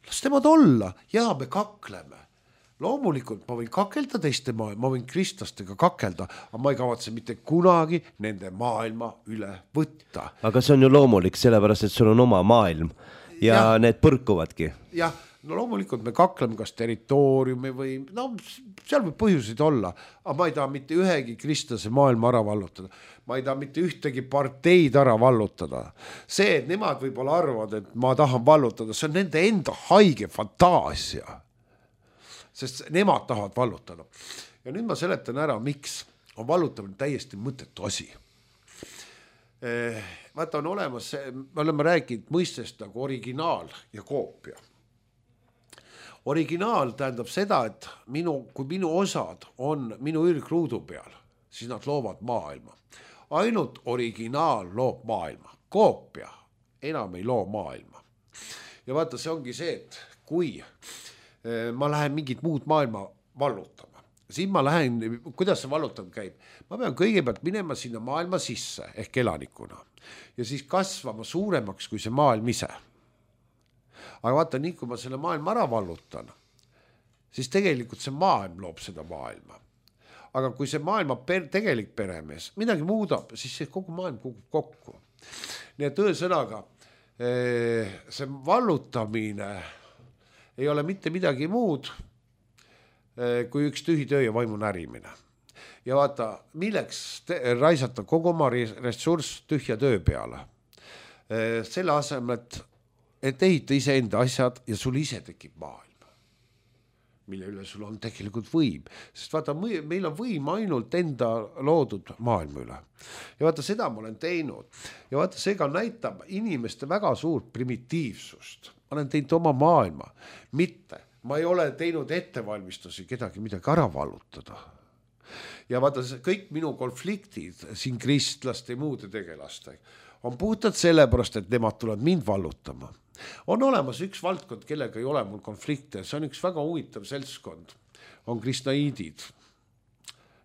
Las temad olla, ja me kakleme. Loomulikult ma võin kakelda teiste maailma, ma võin kristlastega kakelda, aga ma ei kavatse mitte kunagi nende maailma üle võtta. Aga see on ju loomulik, sellepärast, et sul on oma maailm ja, ja need põrkuvadki. Jah, no loomulikult me kakleme kas territooriumi või, no seal võib põhjuseid olla, aga ma ei taha mitte ühegi kristlase maailma ära vallutada. Ma ei taha mitte ühtegi parteid ära vallutada. See, et nemad võib-olla arvavad, et ma tahan vallutada, see on nende enda haige fantaasia. Sest nemad tahavad vallutada. Ja nüüd ma seletan ära, miks on vallutamine täiesti mõttetu asi. Vaata, on olemas, me oleme rääkinud mõistest nagu originaal ja koopia. Originaal tähendab seda, et minu, kui minu osad on minu ürgruudu peal, siis nad loovad maailma. Ainult originaal loob maailma. Koopia enam ei loo maailma. Ja vaata, see ongi see, et kui ma lähen mingit muud maailma vallutama. Siin ma lähen, kuidas see vallutamine käib? Ma pean kõigepealt minema sinna maailma sisse ehk elanikuna ja siis kasvama suuremaks kui see maailm ise. Aga vaata, nii kui ma selle maailma ära vallutan, siis tegelikult see maailm loob seda maailma. Aga kui see maailma per, tegelik peremees midagi muudab, siis see kogu maailm kukub kokku. Nii et ühesõnaga, see vallutamine ei ole mitte midagi muud kui üks tühi töö ja vaimu närimine. Ja vaata, milleks te, raisata kogu oma ressurss tühja töö peale. Selle asemel, et, et ehita ise enda asjad ja sul ise tekib maailm, mille üle sul on tegelikult võim. Sest vaata, meil on võim ainult enda loodud maailma üle. Ja vaata, seda ma olen teinud. Ja vaata, see ka näitab inimeste väga suurt primitiivsust. Ma olen teinud oma maailma. Mitte, ma ei ole teinud ettevalmistusi kedagi midagi ära vallutada. Ja vaata, kõik minu konfliktid siin kristlaste ja muude tegelaste on puhtalt sellepärast, et nemad tulevad mind vallutama. On olemas üks valdkond, kellega ei ole mul konflikte. See on üks väga huvitav seltskond. On kristnaidid.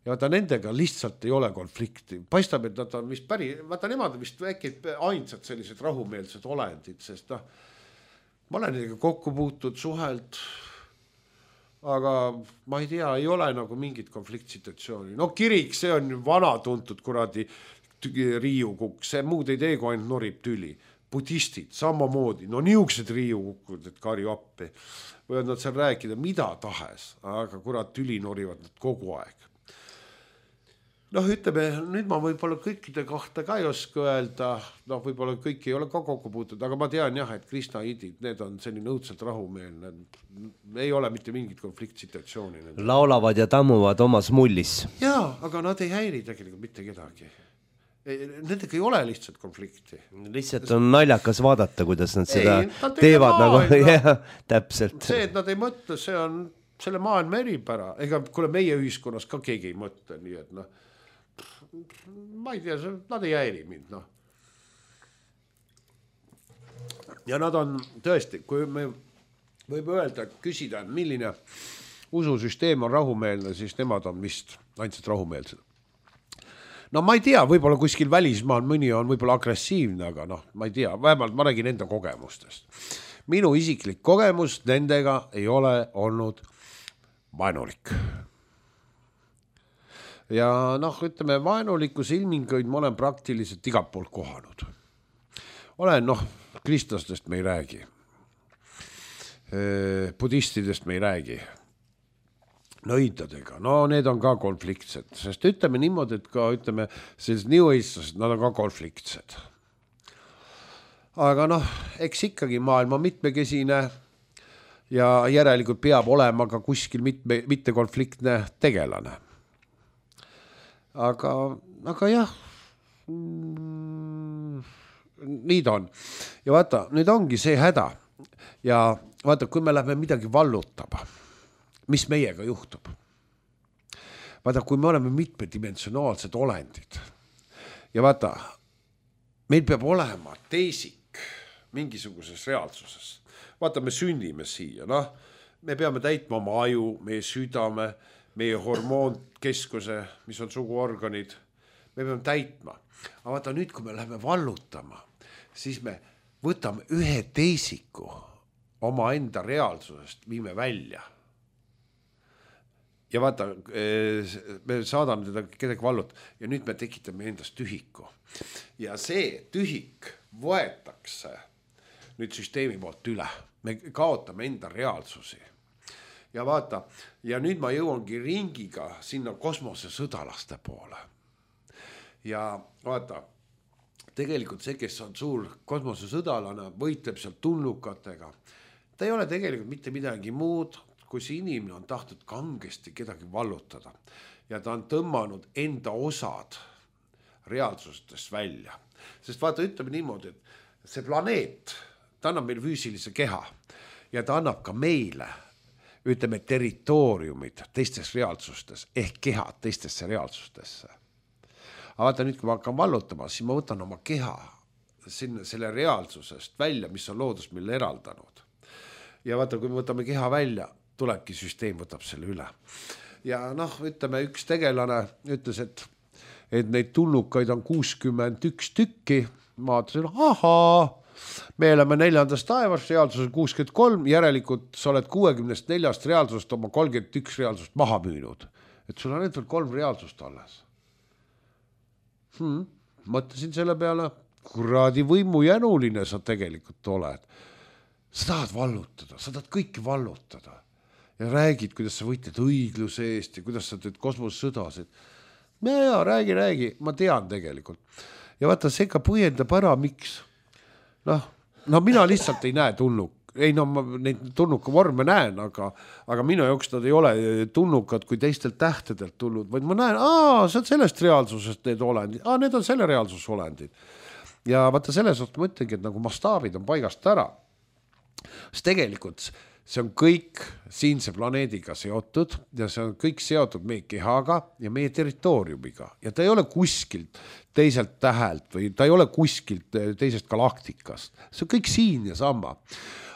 Ja vaata, nendega lihtsalt ei ole konflikti. Paistab, et nad on vist päri, vaata, nemad on vist äkki ainsad sellised rahumeelsed olendid, sest noh, ma olen nendega kokku puutud, suhelt, aga ma ei tea, ei ole nagu mingit konfliktsituatsiooni. No kirik, see on vana tuntud kuradi riiukukk, see muud ei tee, kui ainult norib tüli. Budistid, samamoodi, no niuksed riiukukud, et kari appi. Võivad nad seal rääkida mida tahes, aga kurat tüli norivad nad kogu aeg. Noh, ütleme, nüüd ma võib-olla kõikide kohta ka ei oska öelda, noh, võib-olla kõik ei ole ka kokku puutud, aga ma tean jah, et kristnaidid, need on selline õudselt rahumeelne, ei ole mitte mingit konfliktsituatsiooni. Laulavad ja tammuvad omas mullis. Jaa, aga nad ei häiri tegelikult mitte kedagi. Nendega ei ole lihtsalt konflikti. Lihtsalt on naljakas vaadata, kuidas nad seda ei, nad teevad nagu, jah, täpselt. See, et nad ei mõtle, see on selle maailma eripära. Ega kuule meie ühiskonnas ka keegi ei mõtle, nii et noh, ma ei tea, nad ei häiri mind, noh. Ja nad on tõesti, kui me võib öelda, küsida, milline ususüsteem on rahumeelne, siis nemad on vist ainult rahumeelsed. No ma ei tea, võib-olla kuskil välismaal mõni on võib-olla agressiivne, aga noh, ma ei tea, vähemalt ma räägin enda kogemustest. Minu isiklik kogemus nendega ei ole olnud vaenulik. Ja noh, ütleme, vaenulikus ilminguid ma olen praktiliselt igalt poolt kohanud. Olen, noh, kristlastest me ei räägi. Budistidest me ei räägi. Nõidadega, no need on ka konfliktsed, sest ütleme niimoodi, et ka ütleme, sellised New Age'lased, nad on ka konfliktsed. Aga noh, eks ikkagi maailma mitmekesine ja järelikult peab olema ka kuskil mitme, mitte konfliktne tegelane. Aga, aga jah, mm, nii ta on. Ja vaata, nüüd ongi see häda. Ja vaata, kui me lähme midagi vallutama, mis meiega juhtub. Vaata, kui me oleme mitmedimensionaalsed olendid ja vaata, meil peab olema teisik mingisuguses reaalsuses. Vaata, me sünnime siia, noh, me peame täitma oma aju, meie südame, meie hormoonkeskuse, mis on suguorganid, me peame täitma. Aga vaata, nüüd, kui me läheme vallutama, siis me võtame ühe teisiku oma enda reaalsusest, viime välja. Ja vaata, me saadame teda kedagi vallut ja nüüd me tekitame endast tühiku. Ja see tühik võetakse nüüd süsteemi poolt üle. Me kaotame enda reaalsusi. Ja vaata, ja nüüd ma jõuangi ringiga sinna kosmose sõdalaste poole. Ja vaata, tegelikult see, kes on suur kosmose sõdalane, võitleb seal tulnukatega. Ta ei ole tegelikult mitte midagi muud, kui see inimene on tahtnud kangesti kedagi vallutada ja ta on tõmmanud enda osad reaalsustest välja. Sest vaata, ütleme niimoodi, et see planeet, ta annab meil füüsilise keha ja ta annab ka meile, ütleme, territooriumid teistes reaalsustes ehk kehad teistesse reaalsustesse. Aga vaata nüüd, kui ma hakkan vallutama, siis ma võtan oma keha sinna, selle reaalsusest välja, mis on loodus meile eraldanud. Ja vaata, kui me võtame keha välja, tulebki süsteem, võtab selle üle. Ja noh, ütleme, üks tegelane ütles, et, et neid tulnukaid on kuuskümmend üks tükki. Ma ütlesin, ahaa, me oleme neljandast taevast, reaalsus on kuuskümmend kolm, järelikult sa oled kuuekümnest neljast reaalsust oma kolmkümmend üks reaalsust maha müünud. Et sul on need veel kolm reaalsust alles. Hmm, mõtlesin selle peale, kuradi võimu jänuline sa tegelikult oled. Sa tahad vallutada, sa tahad kõiki vallutada. Ja räägid, kuidas sa võitled õigluse eest ja kuidas sa teed kosmosesõdasid. Ja, ja, räägi, räägi, ma tean tegelikult. Ja vaata, see ka põhjendab ära, miks. Noh, no mina lihtsalt ei näe tunnuk. Ei, no ma neid tunnuka vorme näen, aga, aga minu jaoks nad ei ole tunnukad kui teistelt tähtedelt tulnud, vaid ma näen, aa, see on sellest reaalsusest need olendid, aa, need on selle reaalsus olendid. Ja vaata, selles oht ma ütlengi, et nagu mastaabid on paigast ära. Sest tegelikult see on kõik siinse planeediga seotud ja see on kõik seotud meie kehaga ja meie territooriumiga ja ta ei ole kuskilt teiselt tähelt või ta ei ole kuskilt teisest galaktikast. See on kõik siin ja sama.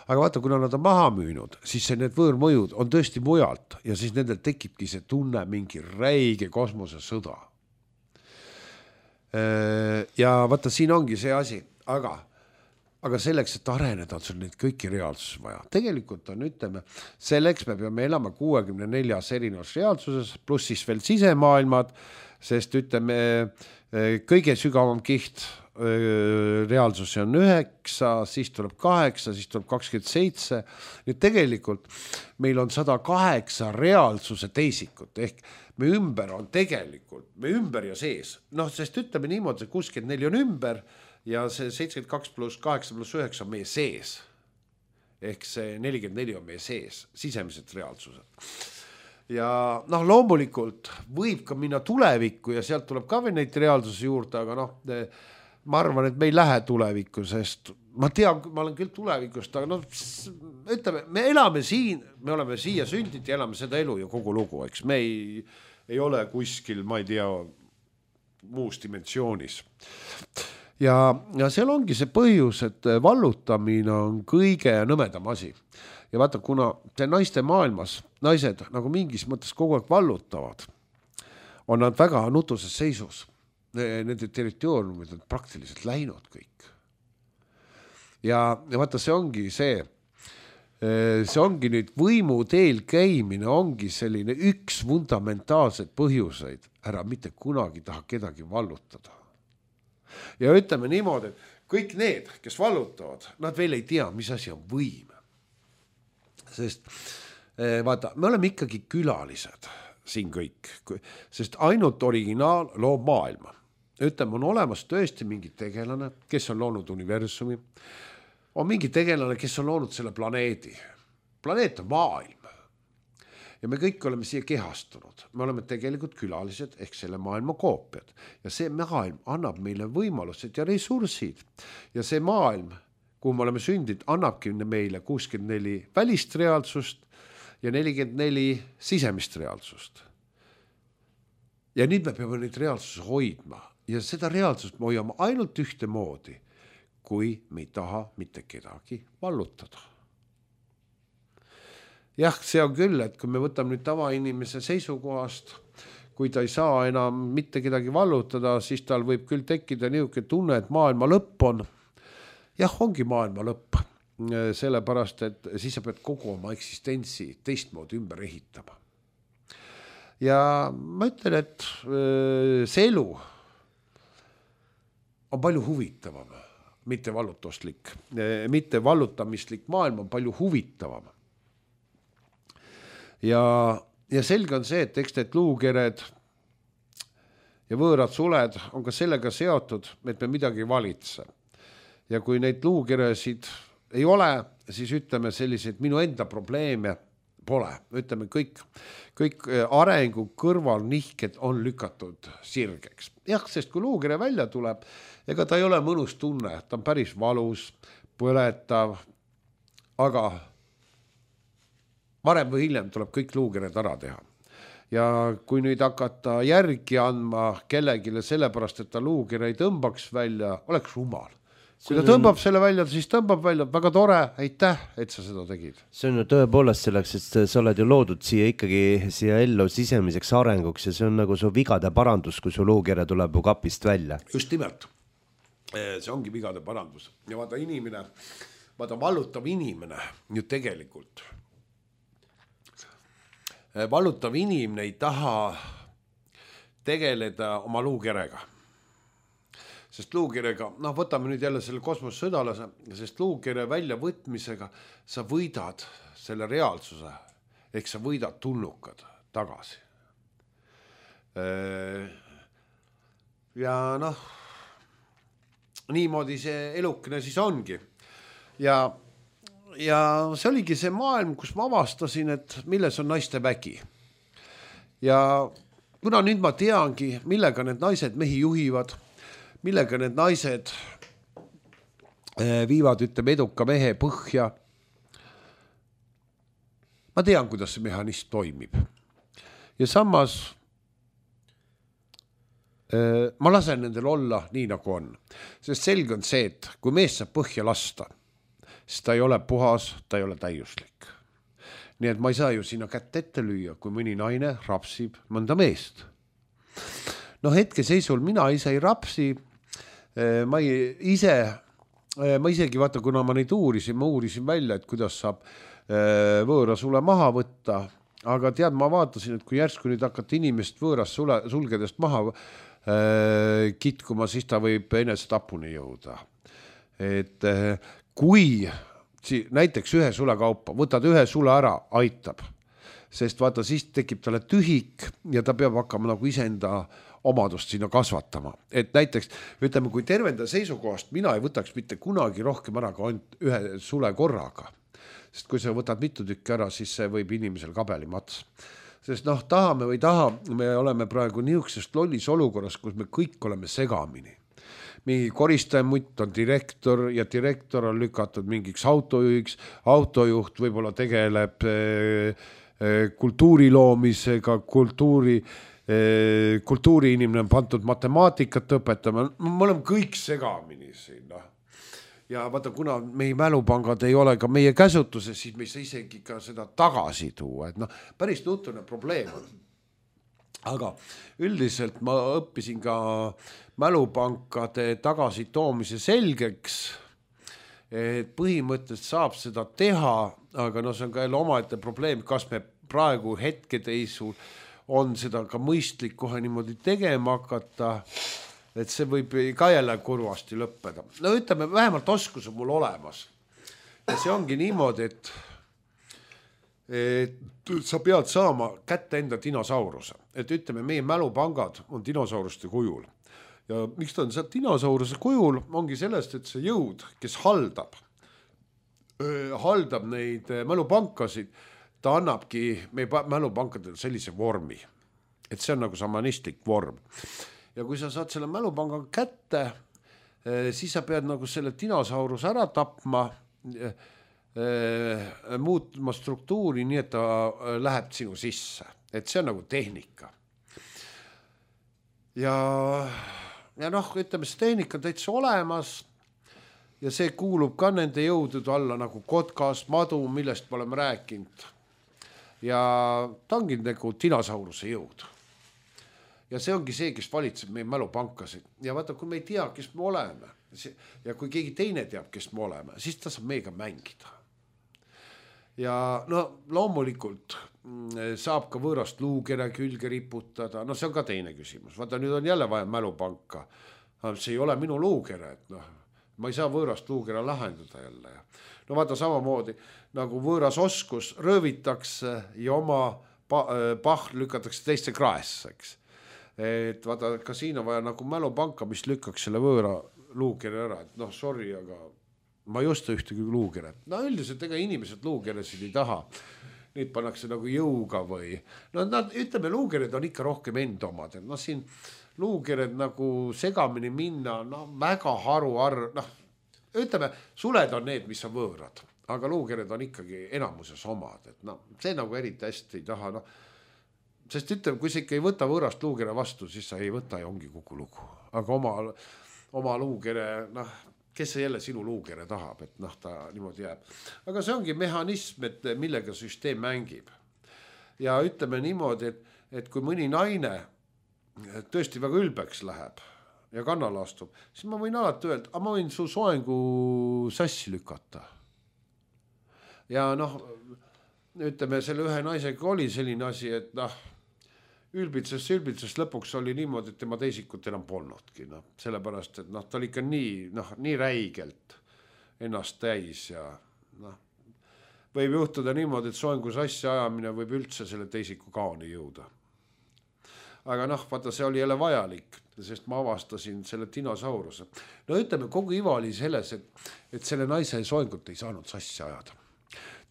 Aga vaata, kuna nad on maha müünud, siis see need võõrmõjud on tõesti mujalt ja siis nendel tekibki see tunne mingi räige kosmosesõda. Ja vaata, siin ongi see asi, aga aga selleks, et areneda, on sul neid kõiki reaalsuses vaja. Tegelikult on, ütleme, selleks me peame elama kuuekümne neljas erinevas reaalsuses, pluss siis veel sisemaailmad, sest ütleme, kõige sügavam kiht reaalsus on üheksa, siis tuleb kaheksa, siis tuleb kakskümmend seitse. Nüüd tegelikult meil on sada kaheksa reaalsuse teisikut, ehk me ümber on tegelikult, me ümber ja sees. Noh, sest ütleme niimoodi, et kuuskümmend neli on ümber, ja see seitsekümmend kaks pluss kaheksa pluss üheksa on meie sees. Ehk see nelikümmend neli on meie sees, sisemised reaalsused. Ja noh, loomulikult võib ka minna tulevikku ja sealt tuleb ka veel neid reaalsusi juurde, aga noh, ma arvan, et me ei lähe tulevikku, sest ma tean, ma olen küll tulevikust, aga noh, ütleme, me elame siin, me oleme siia sündid ja elame seda elu ja kogu lugu, eks me ei, ei ole kuskil, ma ei tea, muus dimensioonis. Ja, ja seal ongi see põhjus, et vallutamine on kõige nõmedam asi. Ja vaata, kuna see naiste maailmas, naised nagu mingis mõttes kogu aeg vallutavad, on nad väga nutuses seisus. Nende territooriumid on praktiliselt läinud kõik. Ja, ja vaata, see ongi see, see ongi nüüd võimu teel käimine, ongi selline üks fundamentaalseid põhjuseid, ära mitte kunagi taha kedagi vallutada. Ja ütleme niimoodi, et kõik need, kes vallutavad, nad veel ei tea, mis asi on võim. Sest vaata, me oleme ikkagi külalised siin kõik, sest ainult originaal loob maailma. Ütleme, on olemas tõesti mingi tegelane, kes on loonud universumi, on mingi tegelane, kes on loonud selle planeedi. Planeet on maailm. Ja me kõik oleme siia kehastunud. Me oleme tegelikult külalised ehk selle maailma koopiad. Ja see maailm annab meile võimalused ja ressursid. Ja see maailm, kuhu me oleme sündid, annabki meile kuuskümmend neli välist reaalsust ja nelikümmend neli sisemist reaalsust. Ja nüüd me peame neid reaalsusi hoidma. Ja seda reaalsust me hoiame ainult ühte moodi, kui me ei taha mitte kedagi vallutada. Jah, see on küll, et kui me võtame nüüd tavainimese seisukohast, kui ta ei saa enam mitte kedagi vallutada, siis tal võib küll tekkida niisugune tunne, et maailma lõpp on. Jah, ongi maailma lõpp, sellepärast, et siis sa pead kogu oma eksistentsi teistmoodi ümber ehitama. Ja ma ütlen, et see elu on palju huvitavam, mitte vallutustlik, mitte vallutamislik maailm on palju huvitavam. Ja, ja selge on see, et eks need luukered ja võõrad suled on ka sellega seotud, et me midagi valitse. Ja kui neid luukeresid ei ole, siis ütleme selliseid minu enda probleeme pole. Ütleme, kõik, kõik arengu kõrvalnihked on lükatud sirgeks. Jah, sest kui luukere välja tuleb, ega ta ei ole mõnus tunne, ta on päris valus, põletav, aga varem või hiljem tuleb kõik luukered ära teha. Ja kui nüüd hakata järgi andma kellegile sellepärast, et ta luukere ei tõmbaks välja, oleks rumal. Kui ta tõmbab selle välja, siis tõmbab välja, väga tore, aitäh, et sa seda tegid. See on ju tõepoolest selleks, et sa oled ju loodud siia ikkagi siia ellu sisemiseks arenguks ja see on nagu su vigade parandus, kui su luukere tuleb ju kapist välja. Just nimelt. see ongi vigade parandus ja vaata inimene, vaata vallutav inimene ju tegelikult, vallutav inimene ei taha tegeleda oma luukerega. Sest luukirega, noh võtame nüüd jälle selle kosmossõdalase, sest luukire väljavõtmisega sa võidad selle reaalsuse, ehk sa võidad tulnukad tagasi. Ja noh, niimoodi see elukene siis ongi. Ja, ja see oligi see maailm, kus ma avastasin, et milles on naiste vägi. Ja kuna nüüd ma teangi, millega need naised mehi juhivad, millega need naised viivad, ütleme, eduka mehe põhja. Ma tean, kuidas see mehhanism toimib. Ja samas ma lasen nendel olla nii, nagu on. Sest selge on see, et kui mees saab põhja lasta, siis ta ei ole puhas, ta ei ole täiuslik. Nii et ma ei saa ju sinna kätt ette lüüa, kui mõni naine rapsib mõnda meest. No hetke seisul mina ise ei rapsi, ma ise, ma isegi vaata, kuna ma neid uurisin, ma uurisin välja, et kuidas saab võõra sule maha võtta, aga tead, ma vaatasin, et kui järsku nüüd hakata inimest võõrast sule, sulgedest maha kitkuma, siis ta võib enese tapuni jõuda. Et kui näiteks ühe sule kaupa, võtad ühe sule ära, aitab, sest vaata, siis tekib talle tühik ja ta peab hakkama nagu iseenda omadust sinna kasvatama. Et näiteks, ütleme, kui tervenda seisukohast mina ei võtaks mitte kunagi rohkem ära ka ühe sule korraga. Sest kui sa võtad mitu tükki ära, siis see võib inimesel kabeli mats. Sest noh, tahame või taha, me oleme praegu niisugusest lollis olukorras, kus me kõik oleme segamini. Mingi koristajamutt on direktor ja direktor on lükatud mingiks autojuhiks, autojuht võib-olla tegeleb kultuuri loomisega, kultuuri kultuuri inimene on pandud matemaatikat õpetama, me oleme kõik segamini siin. No. Ja vaata, kuna meie mälupangad ei ole ka meie käsutuses, siis me ei saa isegi ka seda tagasi tuua. Et no, päris nutune probleem on. Aga üldiselt ma õppisin ka mälupankade tagasi toomise selgeks, et põhimõtteliselt saab seda teha, aga no see on ka jälle omaette probleem, kas me praegu hetkedeisul on seda ka mõistlik kohe niimoodi tegema hakata, et see võib ka jälle kurvasti lõppeda. No ütleme, vähemalt oskus on mul olemas. Ja see ongi niimoodi, et, et sa pead saama kätte enda dinosauruse. Et ütleme, meie mälupangad on dinosauruste kujul. Ja miks ta on see dinosauruse kujul, ongi sellest, et see jõud, kes haldab, haldab neid mälupankasid, ta annabki meie mälupankadele sellise vormi. Et see on nagu samanistlik vorm. Ja kui sa saad selle mälupanga kätte, siis sa pead nagu selle dinosaurus ära tapma, muutma struktuuri nii, et ta läheb sinu sisse. Et see on nagu tehnika. Ja, ja noh, ütleme, see tehnika on täitsa olemas ja see kuulub ka nende jõudude alla nagu kotkas, madu, millest me oleme rääkinud. Ja ta ongi nagu dinosauruse jõud. Ja see ongi see, kes valitseb meie mälupankasid. Ja vaata, kui me ei tea, kes me oleme, ja kui keegi teine teab, kes me oleme, siis ta saab meiega mängida. Ja no loomulikult saab ka võõrast luukere külge riputada, no see on ka teine küsimus. Vaata, nüüd on jälle vaja mälupanka. See ei ole minu luukere, et noh, ma ei saa võõrast luukere lahendada jälle. No vaata samamoodi, nagu võõras oskus röövitakse ja oma pahl lükatakse teiste kraesseks. Et vaata, ka siin on vaja nagu mälupanka, mis lükkaks selle võõra luukere ära. Et noh, sorry, aga ma ei osta ühtegi luukere. No üldiselt ega inimesed luukeresid ei taha. Neid pannakse nagu jõuga või... No nad, ütleme, luukered on ikka rohkem enda omad. No siin luukered nagu segamini minna, no väga haru arv, noh, ütleme, suled on need, mis on võõrad, aga luukered on ikkagi enamuses omad, et no, see nagu eriti hästi ei taha, no, sest ütleme, kui sa ikka ei võta võõrast luukere vastu, siis sa ei võta ja ongi kuku lugu, aga oma, oma luukere, noh, kes see jälle sinu luukere tahab, et noh, ta niimoodi jääb. Aga see ongi mehhanism, et millega süsteem mängib. Ja ütleme niimoodi, et, et kui mõni naine tõesti väga ülbeks läheb, ja kannale astub, siis ma võin alati öelda, aga ma võin su soengu sassi lükata. Ja noh, ütleme, selle ühe naisega oli selline asi, et noh, ülbitses, ülbitses lõpuks oli niimoodi, et tema teisikut enam polnudki. No, sellepärast, et noh, ta oli ikka nii, noh, nii räigelt ennast täis ja noh, võib juhtuda niimoodi, et soengu sassi ajamine võib üldse selle teisiku kaoni jõuda. Aga noh, vaata, see oli jälle vajalik, sest ma avastasin selle dinosauruse. No ütleme, kogu iva oli selles, et, et selle naise soengut ei saanud sassi ajada.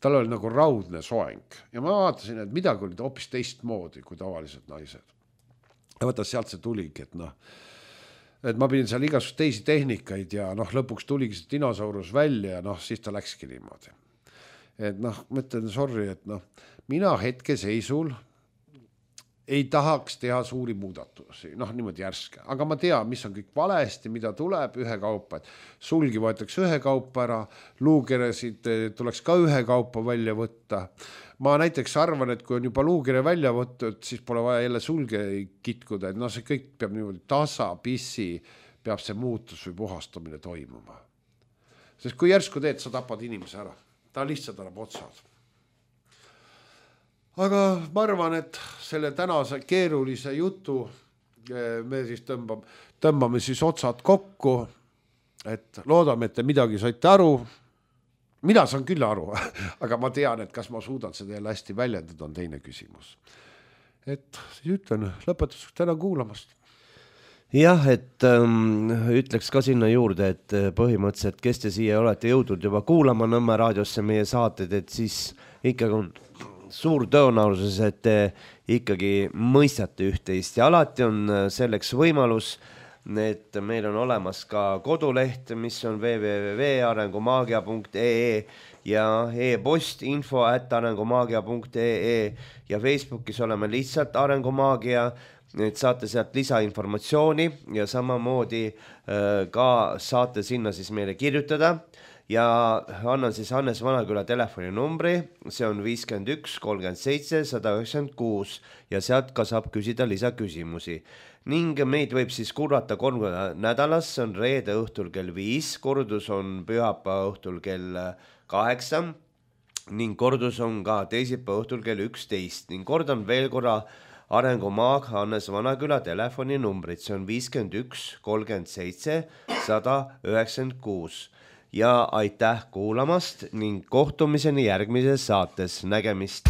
Tal oli nagu raudne soeng ja ma vaatasin, et midagi oli hoopis teistmoodi kui tavalised naised. Ja vaata, sealt see tuligi, et noh, et ma pidin seal igasugust teisi tehnikaid ja noh, lõpuks tuligi see dinosaurus välja ja noh, siis ta läkski niimoodi. Et noh, mõtlen, sorry, et noh, mina hetke seisul ei tahaks teha suuri muudatusi, noh niimoodi järske, aga ma tean, mis on kõik valesti, mida tuleb ühe kaupa, et sulgi võetakse ühe kaupa ära, luukeresid tuleks ka ühe kaupa välja võtta. Ma näiteks arvan, et kui on juba luukere välja võttud, siis pole vaja jälle sulge kitkuda, et noh, see kõik peab niimoodi tasa, pissi, peab see muutus või puhastamine toimuma. Sest kui järsku teed, sa tapad inimese ära, ta lihtsalt annab otsad. Aga ma arvan, et selle tänase keerulise jutu me siis tõmbame, tõmbame siis otsad kokku, et loodame, et te midagi saite aru. Mina saan küll aru, aga ma tean, et kas ma suudan seda jälle hästi väljendada, on teine küsimus. Et siis ütlen, lõpetuseks täna kuulamast. Jah, et ähm, ütleks ka sinna juurde, et põhimõtteliselt, kes te siia olete jõudnud juba kuulama Nõmme raadiosse meie saated, et siis ikkagi on suur tõenäosus, et te ikkagi mõistate üht-teist ja alati on selleks võimalus, et meil on olemas ka koduleht, mis on w w w punkt arengumaagia punkt e e ja e-post info at arengumaagia punkt e e ja Facebookis oleme lihtsalt Arengumaagia, et saate sealt lisainformatsiooni ja samamoodi äh, ka saate sinna siis meile kirjutada. Ja annan siis Hannes Vanaküla telefoninumbri, see on viiskümmend üks kolmkümmend seitse sada üheksakümmend kuus ja sealt ka saab küsida lisaküsimusi. Ning meid võib siis kuulata kolm nädalas, see on reede õhtul kell viis, kordus on pühapäeva õhtul kell kaheksa ning kordus on ka teisipäeva õhtul kell üksteist ning kordan veel korra Arengumaag Hannes Vanaküla telefoninumbrit, see on viiskümmend üks kolmkümmend seitse sada üheksakümmend kuus. Ja aitäh kuulamast ning kohtumiseni järgmises saates. Nägemist!